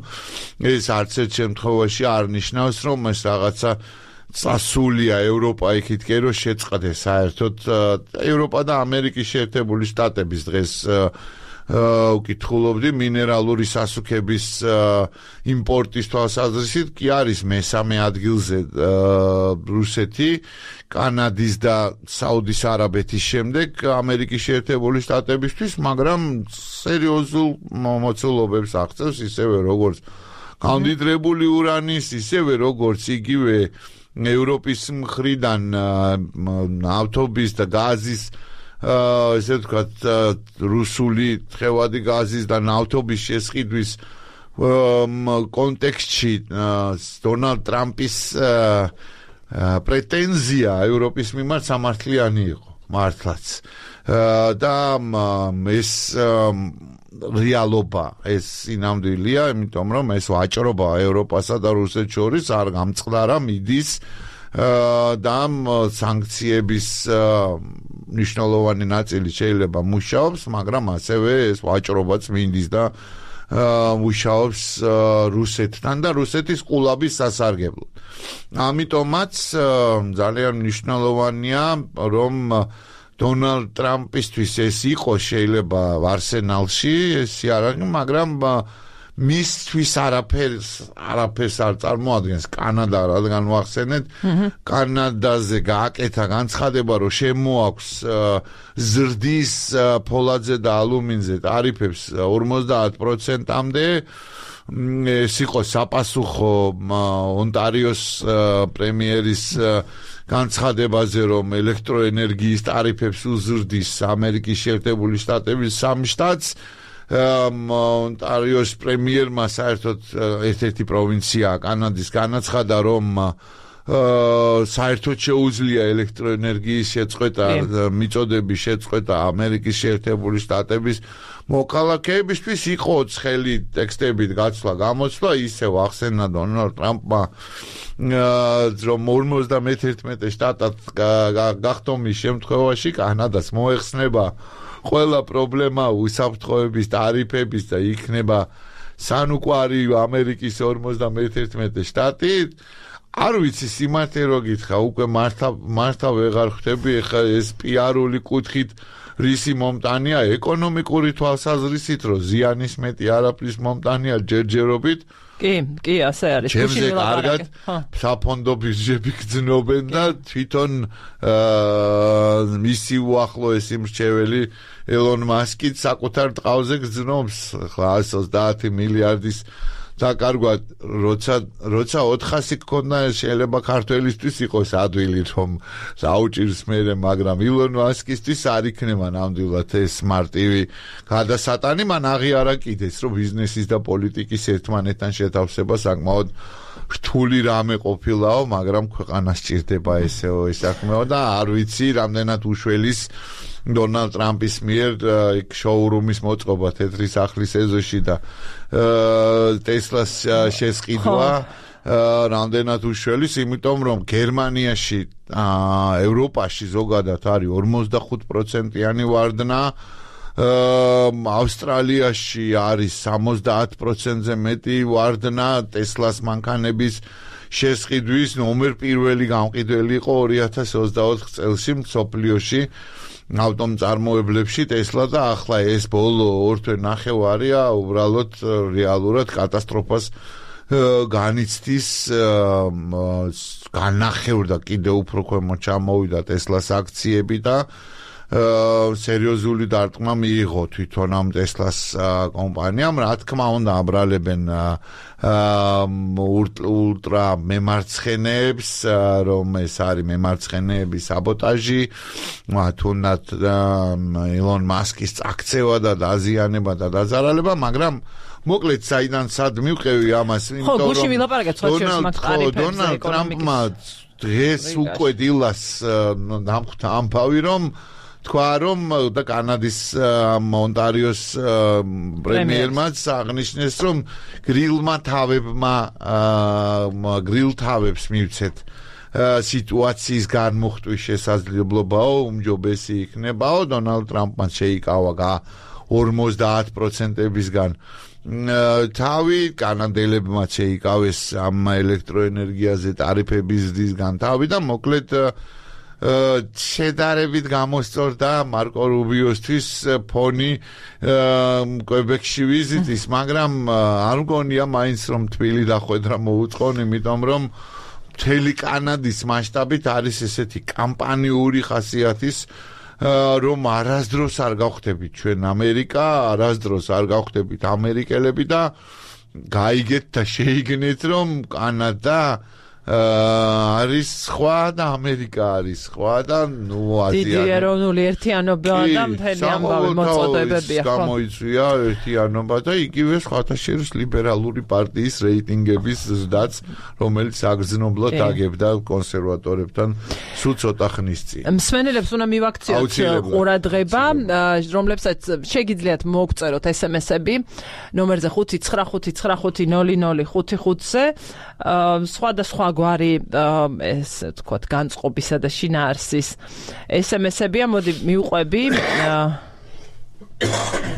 S2: ეს არც ერთ შემთხვევაში არ ნიშნავს რომ ეს რაღაცა წასულია ევროპა იქითკენ რომ შეწყდეს საერთოდ ევროპა და ამერიკის შეერთებული შტატების დღეს უკითხულობდი მინერალური სასუქების იმპორტის თვალსაზრისით კი არის მესამე ადგილზე რუსეთი კანადის და საუდის არაბეთის შემდეგ ამერიკის შეერთებული შტატებისთვის მაგრამ სერიოზულ მოცულობებს აღწევს ისევე როგორც გამდიდრებული ურანის ისევე როგორც იგივე ევროპის მხრიდან ნავთობის და გაზის ესე ვთქვათ რუსული თხევადი გაზის და ნავთობის შესყიდვის კონტექსტში დონალდ ტრამპის პრეტენზია ევროპის მიმართ სამართლიანი იყო მართლაც და ეს რეალობა ეს სინამდვილეა იმიტომ რომ ეს ვაჭრობა ევროპასა და რუსეთს შორის არ გამწყდარა მიდის და სანქციების ნიშნულოვანი ნაწილი შეიძლება მუშაობს, მაგრამ ასევე ეს ვაჭრობაც მინდის და მუშაობს რუსეთთან და რუსეთის ყულაბის სასარგებლოდ. ამიტომაც ძალიან მნიშვნელოვანია, რომ დონალდ ტრამპისთვის ეს იყოს შეიძლება არსენალში, ეს არ არის, მაგრამ მისთვის არაფერს არაფერს არ წარმოადგენს კანადა, რადგან ვახსენეთ, კანადაზე გააკეთა განცხადება, რომ შემოაქვს ზრდის ფოლადზე და ალუმინზე ტარიფებს ორმოცდაათ პროცენტამდე. ეს იყო საპასუხო ონტარიოს პრემიერის განცხადებაზე, რომ ელექტროენერგიის ტარიფებს უზრდის ამერიკის შეერთებული შტატების სამ შტატს. ონტარიოს პრემიერმა საერთოდ ერთ-ერთი პროვინცია კანადის განაცხადა, რომ საერთოდ შეუძლია ელექტროენერგიის შეწყვეტა, მიწოდების შეწყვეტა ამერიკის შეერთებული შტატების მოქალაქეებისთვის. იყო ცხელი ტექსტებით გაცვლა გამოცვლა, ისევ ახსენა დონალდ ტრამპმა, რომ ორმოცდამეთერთმეტე შტატად გახდომის შემთხვევაში კანადას მოეხსნება ყველა პრობლემა უსაფრთხოების ტარიფების და იქნება სანუკვარი ამერიკის ორმოცდამეთერთმეტე შტატი. არ ვიცი სიმართლე რო გითხრა, უკვე მართა მართა ვეღარ ხვდები ეხლა ეს პიარული კუთხით რისი მომტანია, ეკონომიკური თვალსაზრისით რო ზიანის მეტი არაფრის მომტანია ჯერჯერობით.
S1: კი, კი, ასე არის.
S2: ჩემზე კარგად საფონდო ბიუჯეტი გძნობენ და თვითონ მისი უახლოესი მრჩეველი ელონ მასკი საკუთარ ტყავზე გძნობს ხა εκατს ოცდაათი მილიარდის დაკარგვად, როცა როცა ოთხასი გქონდა შეიძლება ქართველისთვის იყოს ადვილი რომ დაუჭირს მერე, მაგრამ ილონ მასკისთვის არ იქნება ნამდვილად ეს მარტივი გადასატანი, მან აღიარა კიდეც რომ ბიზნესის და პოლიტიკის ერთმანეთთან შეთავსება საკმაოდ რთული რამე ყოფილაო, მაგრამ ქვეყანას სჭირდება ესეო ეს საქმეო და არ ვიცი რამდენად უშველის დონალდ ტრამპის მიერ იქ შოურუმის მოწყობა თეთრი სახლის ეზოში და ტესლას შესყიდვა რამდენად უშველის, იმიტომ რომ გერმანიაში, ევროპაში ზოგადად არის ორმოცდახუთ პროცენტიანი ვარდნა, ავსტრალიაში არის სამოცდაათ პროცენტზე მეტი ვარდნა ტესლას მანქანების შესყიდვის. ნომერ პირველი გამყიდველი იყო ორი ათას ოცდაოთხ წელს მსოფლიოში ავტომწარმოებლებში ტესლა და ახლა ეს ბოლო ორ თვე ნახევარია უბრალოდ რეალურად კატასტროფას განიცდის განახევრდა კიდევ უფრო ქვემოთ ჩამოვიდა Tesla-s აქციები და სერიოზული დარტყმა მიიღო თვითონ ამ Tesla-s კომპანიამ, რა თქმა უნდა აბრალებენ ულტრა მემარცხენეებს, რომ ეს არის მემარცხენეების საბოტაჟი, თუნდაც ილონ მასკის წაქცევა და დაზიანება და დაძარალება, მაგრამ მოკლედ საიდან სად მივყევი ამას,
S1: იმიტომ რომ ხო, გუში ვილაპარაკეთ სხვა შორის მაგ ტარიფებზე
S2: დონალდ ტრამპმა დღეს უკვე დილას დამხვდა ამბავი, რომ თქვა რომ და კანადის ონტარიოს პრემიერმაც აღნიშნეს, რომ გრილმა თავებმა გრილ თავებს მივცეთ სიტუაციის განმუხტვის შესაძლებლობაო, უმჯობესი იქნებაო. დონალდ ტრამპმა შეიკავა ორმოცდაათ პროცენტებისგან თავი, კანადელებმა შეიკავეს ამ ელექტროენერგიაზე ტარიფების ზრდისგან თავი და მოკლედ შედარებით გამოსწორდა მარკო რუბიოსთვის ფონი კვებეკში ვიზიტის, მაგრამ არ მგონია მაინც რომ თბილი დახვედრა მოუწყონ, იმიტომ რომ მთელი კანადის მასშტაბით არის ესეთი კამპანიური ხასიათის, რომ არასდროს არ გავხდებით ჩვენ ამერიკა, არასდროს არ გავხდებით ამერიკელები და გაიგეთ და შეიგნეთ, რომ კანადა არის სხვა და ამერიკა არის სხვა და ნუ აზია.
S1: დიდი ეროვნული ერთიანობა და მთელი ამბავი მოწოდებებია.
S2: გამოიწვია ერთიანობა და იგივე სხვათა შორის ლიბერალური პარტიის რეიტინგების ზრდაც, რომელიც აგრძნობლად აგებდა კონსერვატორებთან სულ ცოტა ხნის წინ.
S1: მსმენელებს უნდა მივაქციოთ ყურადღება, რომლებსაც შეგიძლიათ მოგწეროთ ესემესები ნომერზე ხუთი ცხრა ხუთი ცხრა ხუთი ნული ნული ხუთი ხუთზე, სხვადასხვა გვარი ეს თქვათ განწყობისა და შინაარსის ესემესებია. მოდი მივყვები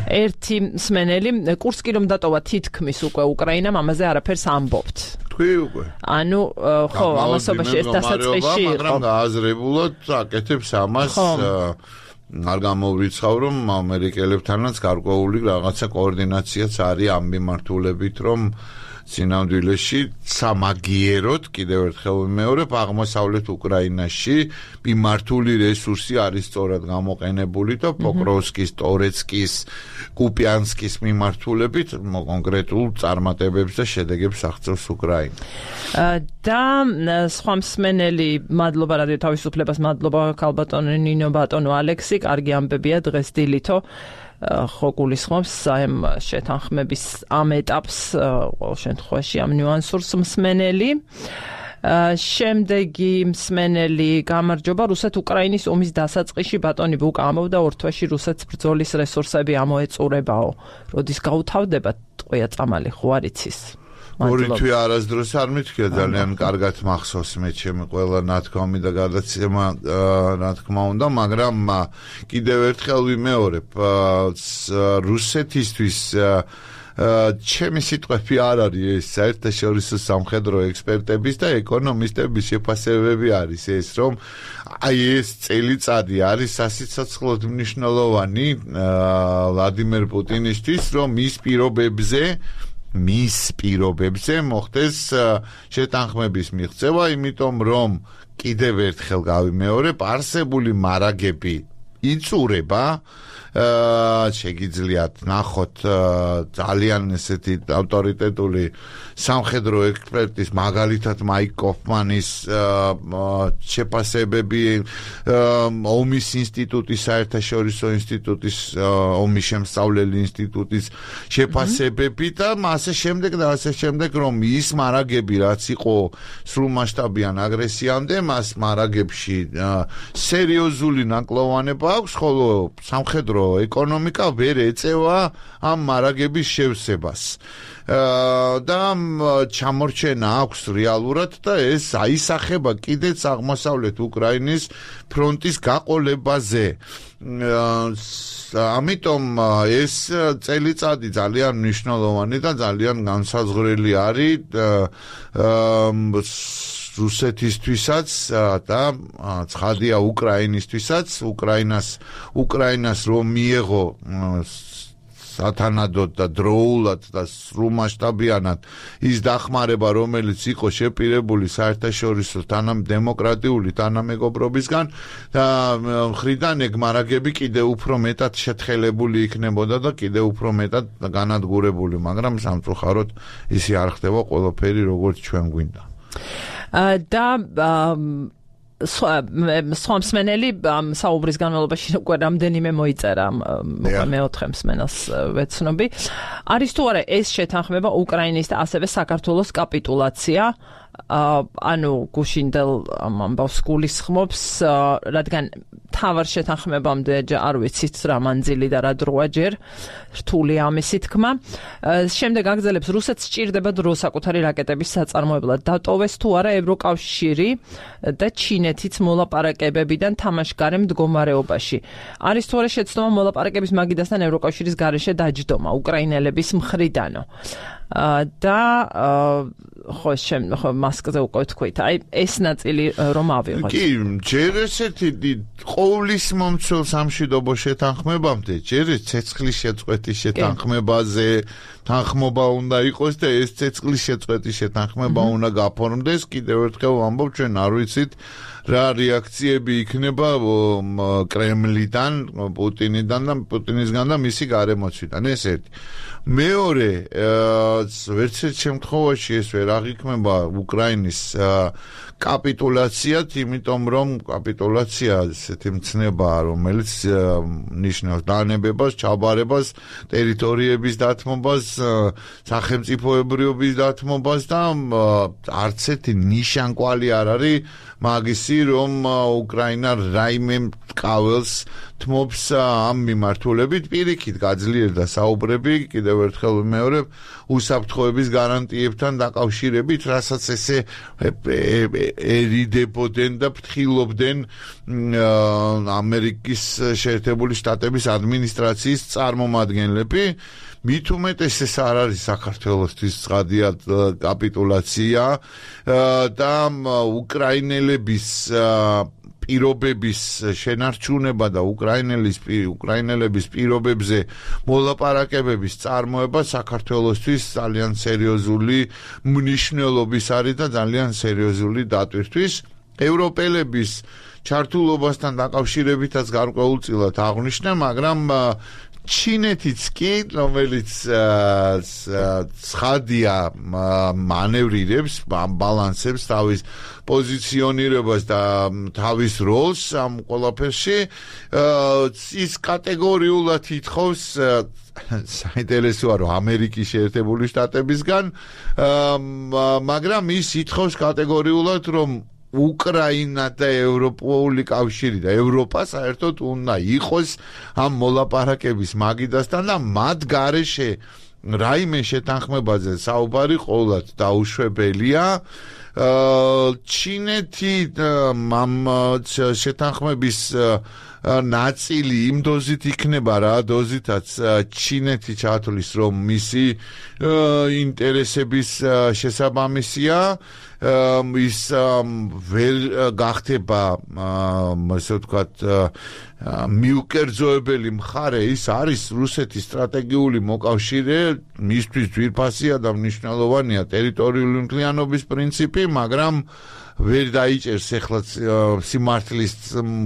S1: ერთი მსმენელი, კურსკი რომ დატოვა თითქმის უკვე უკრაინამ, ამაზე არაფერს ამბობთ.
S2: თქვი უკვე.
S1: ანუ ხო, ამასობაში ეს დასაწყისში იყო,
S2: მაგრამ გააზრებულად აკეთებს ამას, არ გამოვრიცხავ, რომ ამერიკელებთანაც გარკვეული რაღაცა კოორდინაციაც არის ამ მიმართულებით, რომ სინამდვილეში სამაგიეროდ კიდევ ერთხელ ვიმეორებ, აღმოსავლეთ უკრაინაში მიმართული რესურსი არის სწორად გამოყენებული და პოკროვსკის, ტორეცკის, კუპიანსკის მიმართულებით კონკრეტულ წარმატებებს და შედეგებს აღწევს უკრაინა.
S1: და სხვა მსმენელი, მადლობა რადიო თავისუფლებას, მადლობა ქალბატონო ნინო ბატონო ალექსი, კარგი ამბებია დღეს დილითო. ხო გულისხმობს ამ შეთანხმების ამ ეტაპს, ყოველ შემთხვევაში ამ ნიუანსურს მსმენელი. შემდეგი მსმენელი, გამარჯობა, რუსეთ-უკრაინის ომის დასაწყისში ბატონი ბუკა ამბობდა, ორ თვეში რუსეთს ბრძოლის რესურსები ამოეწურებაო. როდის გაუთავდება ტყვია წამალი, ხო არ იცის?
S2: ორი თვე არასდროს არ მithქია, ძალიან კარგად მახსოვს მე ჩემი ყველა ნათქვამი და გადაცემა, რა თქმა უნდა, მაგრამ კიდევ ერთხელ ვიმეორებ, რუსეთისთვის ჩემი სიტყვები არ არის ეს, საერთაშორისო სამხედრო ექსპერტების და ეკონომისტების შეფასებები არის ეს, რომ აი ეს წელიწადი არის სასიცოცხლოდ მნიშვნელოვანი ვლადიმერ პუტინისთვის, რომ მის პირობებზე მის პირობებზე მოხდეს შეთანხმების მიღწევა, იმიტომ რომ კიდევ ერთხელ გავიმეორებ, არსებული მარაგები იწურება, შეგიძლიათ ნახოთ ძალიან ესეთი ავტორიტეტული სამხედრო ექსპერტის, მაგალითად მაიკ კოფმანის შეფასებები, ომის ინსტიტუტის, საერთაშორისო ინსტიტუტის, ომის შემსწავლელი ინსტიტუტის შეფასებები და ასე შემდეგ და ასე შემდეგ, რომ ის მარაგები, რაც იყო სრულმასშტაბიან აგრესიამდე, მას მარაგებში სერიოზული ნაკლოვანება აქვს, ხოლო სამხედრო ეკონომიკა ვერ ეწევა ამ მარაგების შევსებას. და ჩამორჩენა აქვს რეალურად და ეს აისახება კიდეც აღმოსავლეთ უკრაინის ფრონტის გაყოლებაზე. ამიტომ ეს წელიწადი ძალიან მნიშვნელოვანი და ძალიან განსაზღვრელი არის რუსეთისთვისაც და ცხადია უკრაინისთვისაც, უკრაინას უკრაინას რომ მიეღო სათანადოდ და დროულად და სრულმასშტაბიანად ის დახმარება, რომელიც იყო შეპირებული საერთაშორისო თანადემოკრატიული თანამეგობრობისგან და მხრიდან ეგ მარაგები კიდევ უფრო მეტად შეთხელებული იქნებოდა და კიდევ უფრო მეტად განადგურებული, მაგრამ სამწუხაროდ ისი არ ხდება ყველაფერი როგორც ჩვენ გვინდა.
S1: და სხვა მსმენელი საუბრის განმავლობაში უკვე რამდენიმე მოიწერა მეოთხე მსმენელს ვეცნობი. არის თუ არა ეს შეთანხმება უკრაინის და ასევე საქართველოს კაპიტულაცია? ანუ გუშინდელ ამბავს გულისხმობს, რადგან თავარ შეთანხმებამდე არ ვიცით რა მანძილი და რა დროა ჯერ რთული ამისი თქმა. შემდეგ აგრძელებს რუსეთს სჭირდება დრო საკუთარი რაკეტების საწარმოებლად. დატოვეს თუ არა ევროკავშირი და ჩინეთიც მოლაპარაკებებიდან თამაშგარე მდგომარეობაში. არის თუ არა შეცდომა მოლაპარაკების მაგიდასთან ევროკავშირის გარეშე დაჯდომა უკრაინელების მხრიდანო. და ხო შენ ხო მასკზე უკვე თქვით, აი ეს ნაწილი რომ ავიღოთ.
S2: კი, ჯერ ესეთი ყოვლის მომცველ სამშვიდობო შეთანხმებამდე, ჯერ ცეცხლის შეწყვეტის შეთანხმებაზე თანხმობა უნდა იყოს და ეს ცეცხლის შეწყვეტის შეთანხმება უნდა გაფორმდეს. კიდევ ერთხელ ვამბობ, ჩვენ არ ვიცით რა რეაქციები იქნება კრემლიდან, პუტინიდან და პუტინისგან და მისი გარემოცვიდან. ეს ერთი. მეორე, ვერც ერთ შემთხვევაში ეს ვერ აღიქმება უკრაინის კაპიტულაციად, იმიტომ რომ კაპიტულაცია ესეთი მცნებაა, რომელიც ნიშნავს დანებებას, ჩაბარებას, ტერიტორიების დათმობას, სახელმწიფოებრიობის დათმობას და არც ერთი ნიშანკვალი არ არის მაგისი, რომ უკრაინა რაიმე მკაველს თმობს ამ მიმართულებით. პირიქით გაძლიერდა საუბრები, კიდევ ერთხელ ვიმეორებ, უსაფრთხოების გარანტიებთან დაკავშირებით, რასაც ესე ერიდებოდნენ და ფრთხილობდნენ ამერიკის შეერთებული შტატების ადმინისტრაციის წარმომადგენლები. მით უმეტეს ეს არ არის საქართველოსთვის ცხადია კაპიტულაცია და უკრაინელების პირობების შენარჩუნება და უკრაინელის უკრაინელების პირობებზე მოლაპარაკებების წარმოება საქართველოსთვის ძალიან სერიოზული მნიშვნელობის არის და ძალიან სერიოზული დატვირთვის. ევროპელების ჩართულობასთან დაკავშირებითაც გარკვეულწილად აღვნიშნე, მაგრამ ჩინეთიც კი, რომელიც ცხადია მანევრირებს, ბალანსებს თავის პოზიციონირებას და თავის როლს ამ ყველაფერში, ის კატეგორიულად ითხოვს საინტერესოა რომ ამერიკის შეერთებული შტატებისგან, მაგრამ ის ითხოვს კატეგორიულად რომ უკრაინა და ევროპული კავშირი და ევროპა საერთოდ უნდა იყოს ამ მოლაპარაკების მაგიდასთან და მათ გარეშე რაიმე შეთანხმებაზე საუბარი ყოველად დაუშვებელია. ჩინეთი ამ შეთანხმების ნაწილი იმ დოზით იქნება რა დოზითაც ჩინეთი ჩათვლის რომ მისი ინტერესების შესაბამისია ის ვერ გახდება ასე ვთქვათ მიუკერძოებელი მხარე ის არის რუსეთის სტრატეგიული მოკავშირე მისთვის ძვირფასია და მნიშვნელოვანია ტერიტორიული მთლიანობის პრინციპი მაგრამ ვერ დაიჭერს ახლა სიმართლის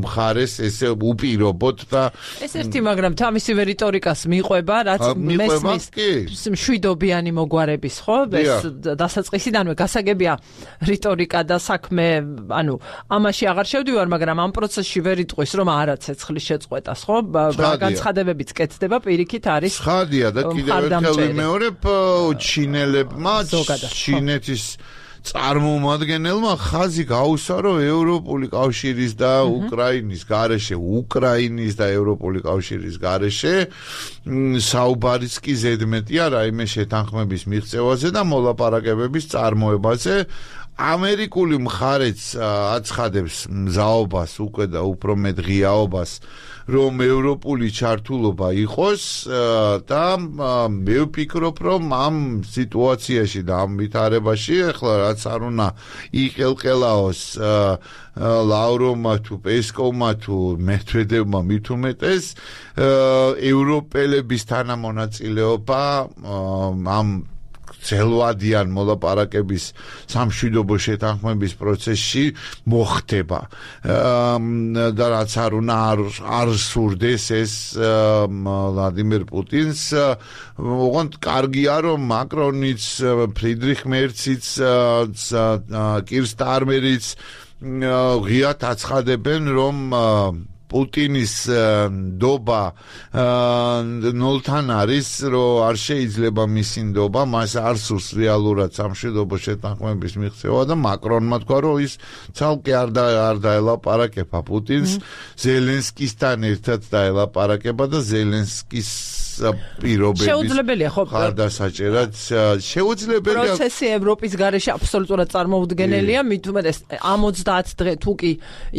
S2: მხარეს ესე უპირობოდ და
S1: ეს ერთი მაგრამ თავისი რიტორიკას მიყვება რაც მესმის მშვიდობიანი მოგვარების ხო ეს დასაწყისიდანვე გასაგებია რიტორიკა და საქმე ანუ ამაში აღარ შევდივარ მაგრამ ამ პროცესში ვერ იტყვის რომ არა ცეცხლის შეწყვეტას ხო განცხადებებიც კეთდება პირიქით არის
S2: ხადია და კიდევ ერთხელ ვიმეორებ ჩინელებმა ჩინეთის წარმომადგენელმა ხაზი გაუსვა რომ ევროპული კავშირის და უკრაინის გარეშე უკრაინის და ევროპული კავშირის გარეშე საუბარიც კი ზედმეტია რაიმე შეთანხმების მიღწევაზე და მოლაპარაკებების წარმოებაზე ამერიკული მხარეც აცხადებს მზაობას უკვე და უფრო მეტ ღიაობას რომ ევროპული ჩართულობა იყოს და მე ვფიქრობ რომ ამ სიტუაციაში და ამ ვითარებაში ახლა რაც არ უნდა იყელყელაოს ლავროვმა თუ პესკოვმა თუ მედვედევმა მით უმეტეს ევროპელების თანამონაწილეობა ამ ძელვადიან მოლაპარაკების სამშვიდობო შეთანხმების პროცესში მოხდება და რაც არ უნდა არ სურდეს ეს ვლადიმერ პუტინს ოღონდ კარგია რომ მაკრონიც ფრიდრიხ მერციც კირ სტარმერიც ღიად აცხადებენ რომ პუტინის ნდობა ნოლთან არის, რომ არ შეიძლება მისი ნდობა, მას არ სურს რეალურად სამშვიდობო შეთანხმების მიღწევა და მაკრონმა თქვა, რომ ის ცალკე არ არ დაელაპარაკება პუტინს, ზელენსკისთან ერთად დაელაპარაკება და ზელენსკის პირობების
S1: შეუძლებელია ხო
S2: ხარდასაჭერად შეუძლებელია
S1: პროცესი ევროპის გარეშე აბსოლუტურად წარმოუდგენელია მით უმეტეს ოცდაათ დღე თუ კი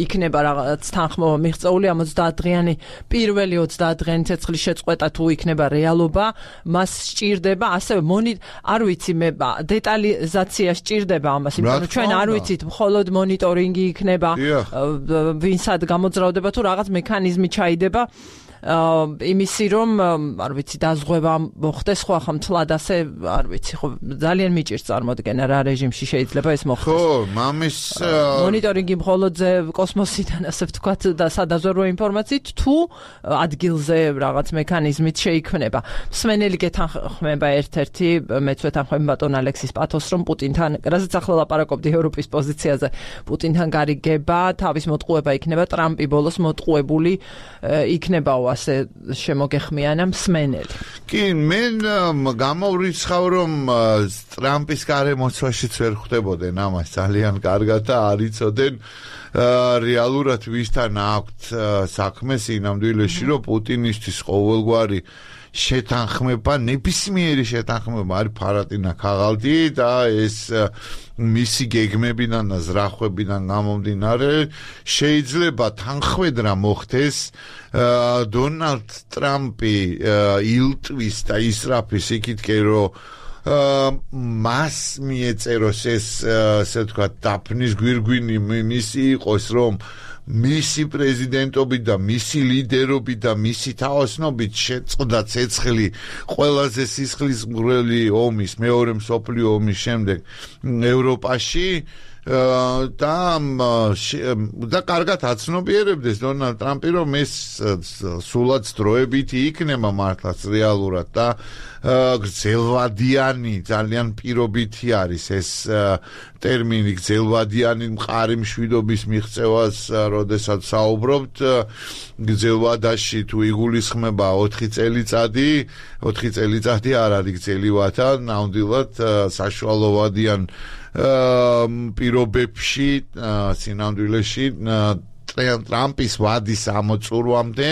S1: იქნება რაღაც თანხმობა მიღწეული ოცდაათ დღიანი პირველი ოცდაათ დღიანი ცეცხლის შეწყვეტა თუ იქნება რეალობა მას სჭირდება ასევე მონი არ ვიცი მე დეტალიზაცია სჭირდება ამას იმიტომ რომ ჩვენ არ ვიცით მხოლოდ მონიტორინგი იქნება ვინსად გამოძრავდება თუ რაღაც მექანიზმი ჩაიდება იმისი რომ არ ვიცი დაზღვევა მოხდეს ხო ახლა მთლად ასე არ ვიცი ხო ძალიან მიჭირს წარმოდგენა რა რეჟიმში შეიძლება ეს მოხდეს
S2: ხო მამის
S1: მონიტორინგი მხოლოდ კოსმოსიდან ასე ვთქვათ და სადაზვერვო ინფორმაციით თუ ადგილზე რაღაც მექანიზმით შეიქმნება მსმენელი გეთანხმება ერთ-ერთი მეც ვეთანხმები ბატონ ალექსის პათოს რომ პუტინთან რასაც ახლა ლაპარაკობდი ევროპის პოზიციაზე პუტინთან გარიგება თავის მოტყუება იქნება ტრამპი ბოლოს მოტყუებული იქნება ასე შემოგეხმიანა მსმენელი.
S2: კი, მე გამოვრიცხავ რომ ტრამპის გარემოცვაშიც ვერ ხვდებოდნენ ამას ძალიან კარგად და არ იცოდნენ რეალურად ვისთან აქვთ საქმე სინამდვილეში რომ პუტინისთვის ყოველგვარი შეთანხმება, ნებისმიერი შეთანხმება არის ფარატინა ქაღალდი და ეს მისი გეგმებიდან და ზრახვებიდან გამომდინარე შეიძლება თანხმედრა მოხდეს დონალდ ტრამპი ილტვის და ისრაფის იქითკენ რომ მას მიეწეროს ეს ასე ვთქვათ დაფნის გვირგვინი მისი იყოს რომ მისი პრეზიდენტობით და მისი ლიდერობით და მისი თაოსნობით შეწყდა ცეცხლი ყველაზე სისხლისმღვრელი ომის მეორე მსოფლიო ომის შემდეგ ევროპაში და და კარგად აცნობიერებდეს დონალდ ტრამპი რომ ეს სულაც დროებითი იქნება მართლაც რეალურად და გრძელვადიანი ძალიან პირობითი არის ეს ტერმინი გრძელვადიანი მყარი მშვიდობის მიღწევას როდესაც საუბრობთ გრძელვადაში თუ იგულისხმება ოთხი წელიწადი ოთხი წელიწადი არ არის გრძელვადა ნამდვილად საშუალოვადიან პირობებში სინამდვილეში ტრამპის ვადის ამოწურვამდე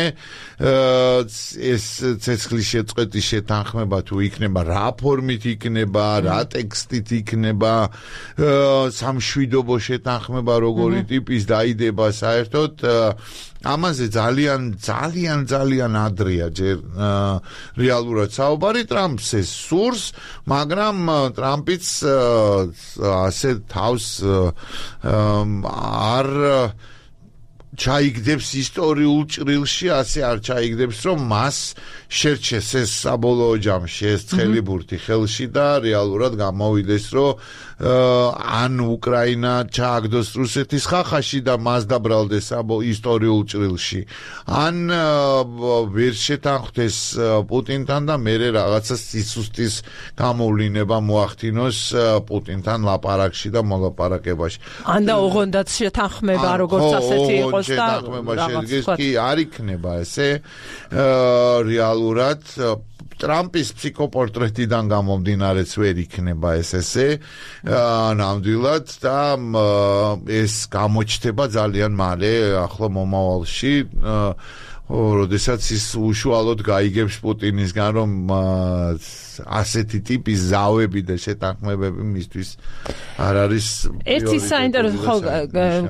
S2: ეს ცეცხლის შეწყვეტის შეთანხმება თუ იქნება რა ფორმით იქნება რა ტექსტით იქნება სამშვიდობო შეთანხმება როგორი ტიპის დაიდება საერთოდ ამაზე ძალიან ძალიან ძალიან ადრეა ჯერ რეალურად საუბარი ტრამპს ეს სურს მაგრამ ტრამპიც ასე თავს არ ჩაიგდებს ისტორიულ ჭრილში ასე არ ჩაიგდებს რომ მას შერჩეს ეს საბოლოო ჯამში ეს ცხელიბურთი ხელში და რეალურად გამოვიდეს რომ ან უკრაინა ჩააგდოს რუსეთის ხახაში და მას დაბრალდეს ისტორიულ ჭრილში ან ვერ შეთანხმდეს პუტინთან და მერე რაღაცა სისუსტის გამოვლინება მოახდინოს პუტინთან ლაპარაკში და მოლაპარაკებაში
S1: ან და ოღონდაც შეთანხმება როგორც ასეთი იყოს
S2: შეთანხმება შედგეს კი არ იქნება ესე რეალურად ტრამპის ფსიქოპორტრეტიდან გამომდინარეც ვერ იქნება ეს ესე ნამდვილად და ეს გამოჩნდება ძალიან მალე ახლა მომავალში როდესაც ის უშუალოდ გაიგებს პუტინისგან, რომ ასეთი ტიპის ზავები და შეთანხმებები მისთვის არ არის
S1: ერთი საინტერესო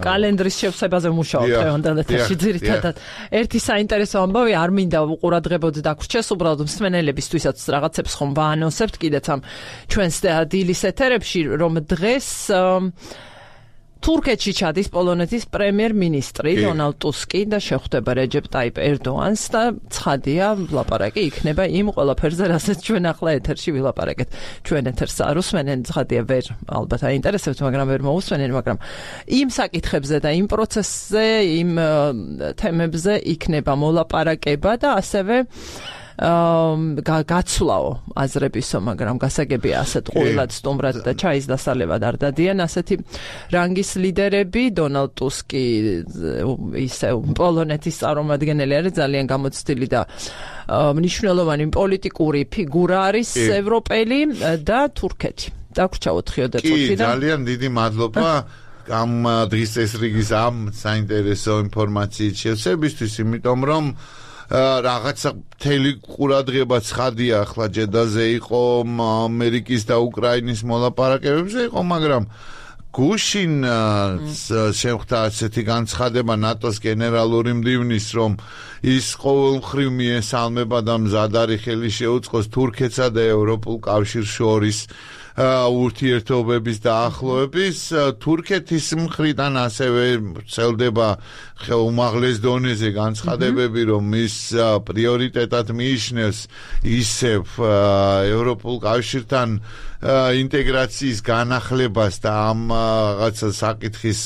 S1: კალენდრის შევსებაზე ვმუშაობ დღევანდელ ეთერში ძირითადად. ერთი საინტერესო ამბავი არ მინდა უყურადღებოდ დაგვრჩეს, უბრალოდ მსმენელებისთვისაც რაღაცებს ხომ ვაანონსებთ კიდეც ამ ჩვენს დილის ეთერებში, რომ დღეს თურქეთში ჩადის პოლონეთის პრემიერ-მინისტრი დონალდ ტუსკი და შეხვდება რეჯეპ ტაიპ ერდოანს და ცხადია ლაპარაკი იქნება იმ ყველაფერზე, რასაც ჩვენ ახლა ეთერში ვილაპარაკეთ. ჩვენ ეთერს არ უსმენენ, ცხადია ვერ ალბათ აინტერესებთ, მაგრამ ვერ მოусმენენ, მაგრამ იმ საკითხებზე და იმ პროცესზე, იმ თემებზე იქნება მოლაპარაკება და ასევე გაცვლაო აზრებისო, მაგრამ გასაგებია ასეთ ყურილად სტუმრად და ჩაის დასალევად არ დადიან ასეთი რანგის ლიდერები. დონალდ ტუსკი ისე პოლონეთის წარმომადგენელი არის, ძალიან გამოცდილი და მნიშვნელოვანი პოლიტიკური ფიგურა არის ევროპელი და თურქეთი. დაგვრჩავოთ ხიოდე წუთი და
S2: ძალიან დიდი მადლობა ამ დღის წესრიგის ამ საინტერესო ინფორმაციით შევსებისთვის, იმიტომ რომ რაღაცა მთელი ყურადღება ცხადია ახლა ჯედაზე იყო, ამერიკის და უკრაინის მოლაპარაკებებზე იყო, მაგრამ გუშინ შეხვდა ასეთი განცხადება ნატოს გენერალური მდივნის, რომ ის ყოველმხრივ მიესალმება და მზად არის ხელი შეუწყოს თურქეთსა და ევროპულ კავშირს შორის ურთიერთობების დაახლოების. თურქეთის მხრიდან ასევე ვრცელდება უმაღლეს დონეზე განცხადებები, რომ ის პრიორიტეტად მიიჩნევს ისევ ევროპულ კავშირთან ინტეგრაციის განახლებას და ამ რაღაცა საკითხის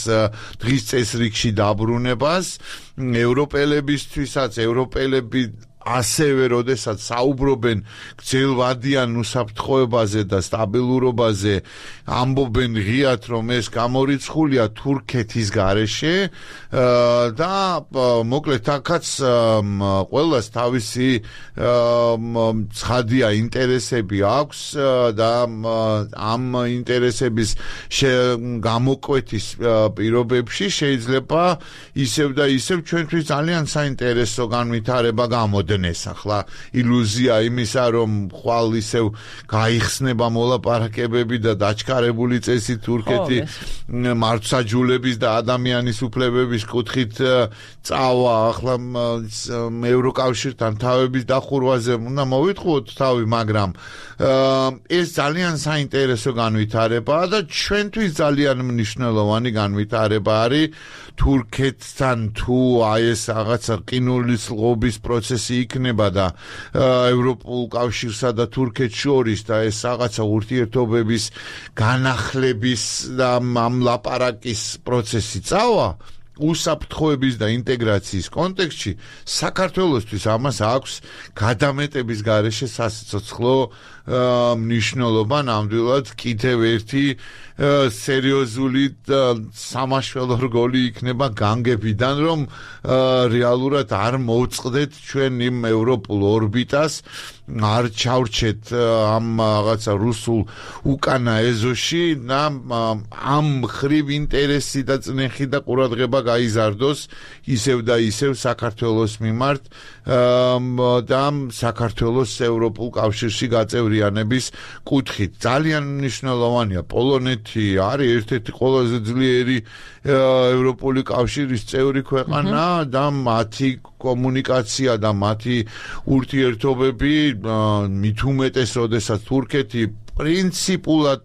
S2: დღის წესრიგში დაბრუნებას. ევროპელებისთვისაც ევროპელები ასევე როდესაც საუბრობენ გრძელვადიან უსაფრთხოებაზე და სტაბილურობაზე, ამბობენ ღიად, რომ ეს გამორიცხულია თურქეთის გარეშე და მოკლედ აქაც ყველას თავისი ცხადია ინტერესები აქვს და ამ ინტერესების გამოკვეთის პირობებში შეიძლება ისევ და ისევ ჩვენთვის ძალიან საინტერესო განვითარება გამოდგეს. ახლა ილუზია იმისა, რომ ხვალ ისევ გაიხსნება მოლაპარაკებები და დაჩქარებული წესი თურქეთი მართლმსაჯულების და ადამიანის უფლებების კუთხით წავა. ახლა ევროკავშირთან თავების დახურვაზე უნდა მოვიტყუოთ თავი, მაგრამ ეს ძალიან საინტერესო განვითარებაა და ჩვენთვის ძალიან მნიშვნელოვანი განვითარება არის. თურქეთთან თუ აი ეს რაღაცა რკინულის ლღობის პროცესი იქნება და ევროპულ კავშირსა და თურქეთს შორის და ეს რაღაცა ურთიერთობების განახლების და ამ ლაპარაკის პროცესი წავა უსაფრთხოების და ინტეგრაციის კონტექსტში, საქართველოსთვის ამას აქვს გადამეტების გარეშე სასიცოცხლო მნიშვნელობა. ნამდვილად კიდევ ერთი სერიოზული სამაშველო რგოლი იქნება განგებიდან, რომ რეალურად არ მოვწყდეთ ჩვენ იმ ევროპულ ორბიტას, არ ჩავრჩეთ ამ რაღაცა რუსულ უკანა ეზოში და ამ ხრივ ინტერესი და წნეხი და ყურადღება გაიზარდოს ისევ და ისევ საქართველოს მიმართ და საქართველოს ევროპულ კავშირში გაწევრიანების კუთხით. ძალიან მნიშვნელოვანია. პოლონეთი არის ერთ-ერთი ყველაზე ძლიერი ევროპული კავშირის წევრი ქვეყანა და მათი კომუნიკაცია და მათი ურთიერთობები მით უმეტეს, როდესაც თურქეთი პრინციპულად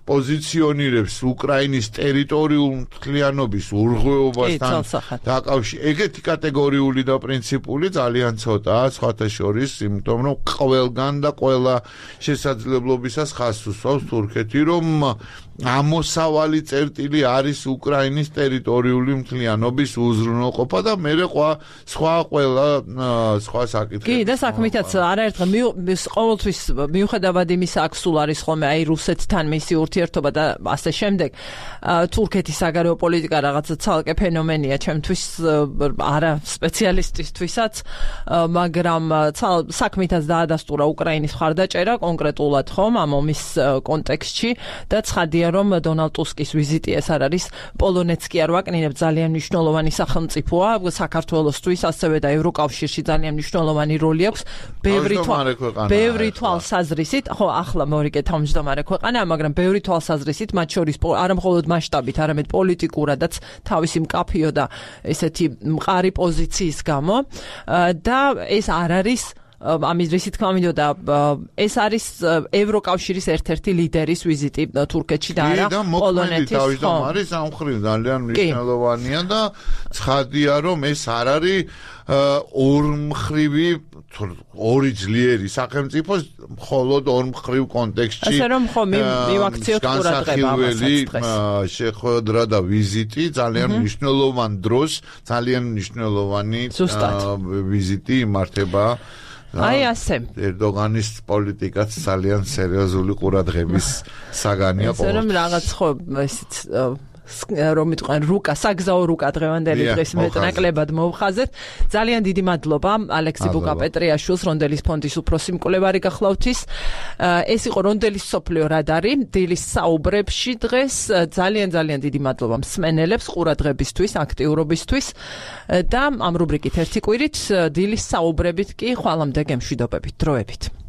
S2: პოზიციონირებს უკრაინის ტერიტორიულ მთლიანობის ურღვეობასთან დაკავშირებით. ეგეთი კატეგორიული და პრინციპული ძალიან ცოტაა, სხვათა შორის, იმიტომ რომ ყველგან და ყველა შესაძლებლობისას ხაზს უსვამს თურქეთი, რომ ამოსავალი წერტილი არის უკრაინის ტერიტორიული მთლიანობის უზრუნველყოფა და მერე სხვა ყველა სხვა საკითხი.
S1: კი, და საქმითაც არაერთხელ ყოველთვის მიუხედავად იმისა, აქ სულ არის ხოლმე აი რუსეთთან მისი ურთიერთობა და ასე შემდეგ. თურქეთის საგარეო პოლიტიკა რაღაცა ცალკე ფენომენია ჩემთვის არა სპეციალისტისთვისაც, მაგრამ საქმითაც დაადასტურა უკრაინის მხარდაჭერა კონკრეტულად ხომ ამ ომის კონტექსტში და ცხადია რომ დონალდ ტუსკის ვიზიტი ეს არ არის პოლონეთს კი არ ვაკნინებ ძალიან მნიშვნელოვანი სახელმწიფოა საქართველოსთვის, ასევე და ევროკავშირში ძალიან მნიშვნელოვანი როლი აქვს. ბევრი ბევრი თვალსაზრისით, ხო, ახლა მორიგე თავმჯდომარე ქვეყანაა, მაგრამ ბევრი თვალსაზრისით, მათ შორის არა მხოლოდ მასშტაბით, არამედ პოლიტიკურადაც თავისი მკაფიო და ესეთი მყარი პოზიციის გამო და ეს არ არის ამის რისი თქმა მინდოდა ეს არის ევროკავშირის ერთ-ერთი ლიდერის ვიზიტი თურქეთში და არა პოლონეთის.
S2: თავის და არის ამ მხრივ ძალიან მნიშვნელოვანია და ცხადია რომ ეს არ არის ორმხრივი ორი ძლიერი სახელმწიფო მხოლოდ ორმხრივ კონტექსტში.
S1: ასე რომ ხო მივაქციოთ ყურადღება ამას.
S2: შეხვედრა და ვიზიტი ძალიან მნიშვნელოვან დროს, ძალიან მნიშვნელოვანი ვიზიტი იმართება.
S1: აი ასე.
S2: ერდოგანის პოლიტიკაც ძალიან სერიოზული ყურადღების საგანია
S1: ყოველთვის. ასე რომ რაღაც ხო ესეც რომ მიტყვენ რუკა, საგზაო რუკა დღევანდელი დღის მეტნაკლებად მოვხაზეთ. ძალიან დიდი მადლობა ალექსი ბუკა-პეტრიაშვილს, რონდელის ფონდის უფროსი მკვლევარი გახლავთის. ეს იყო რონდელის სოფლიო რადარი დილის საუბრებში დღეს. ძალიან ძალიან დიდი მადლობა მსმენელებს ყურადღებისთვის, აქტიურობისთვის და ამ რუბრიკით ერთი კვირით დილის საუბრებით კი ხვალამდე გემშვიდობებით, დროებით.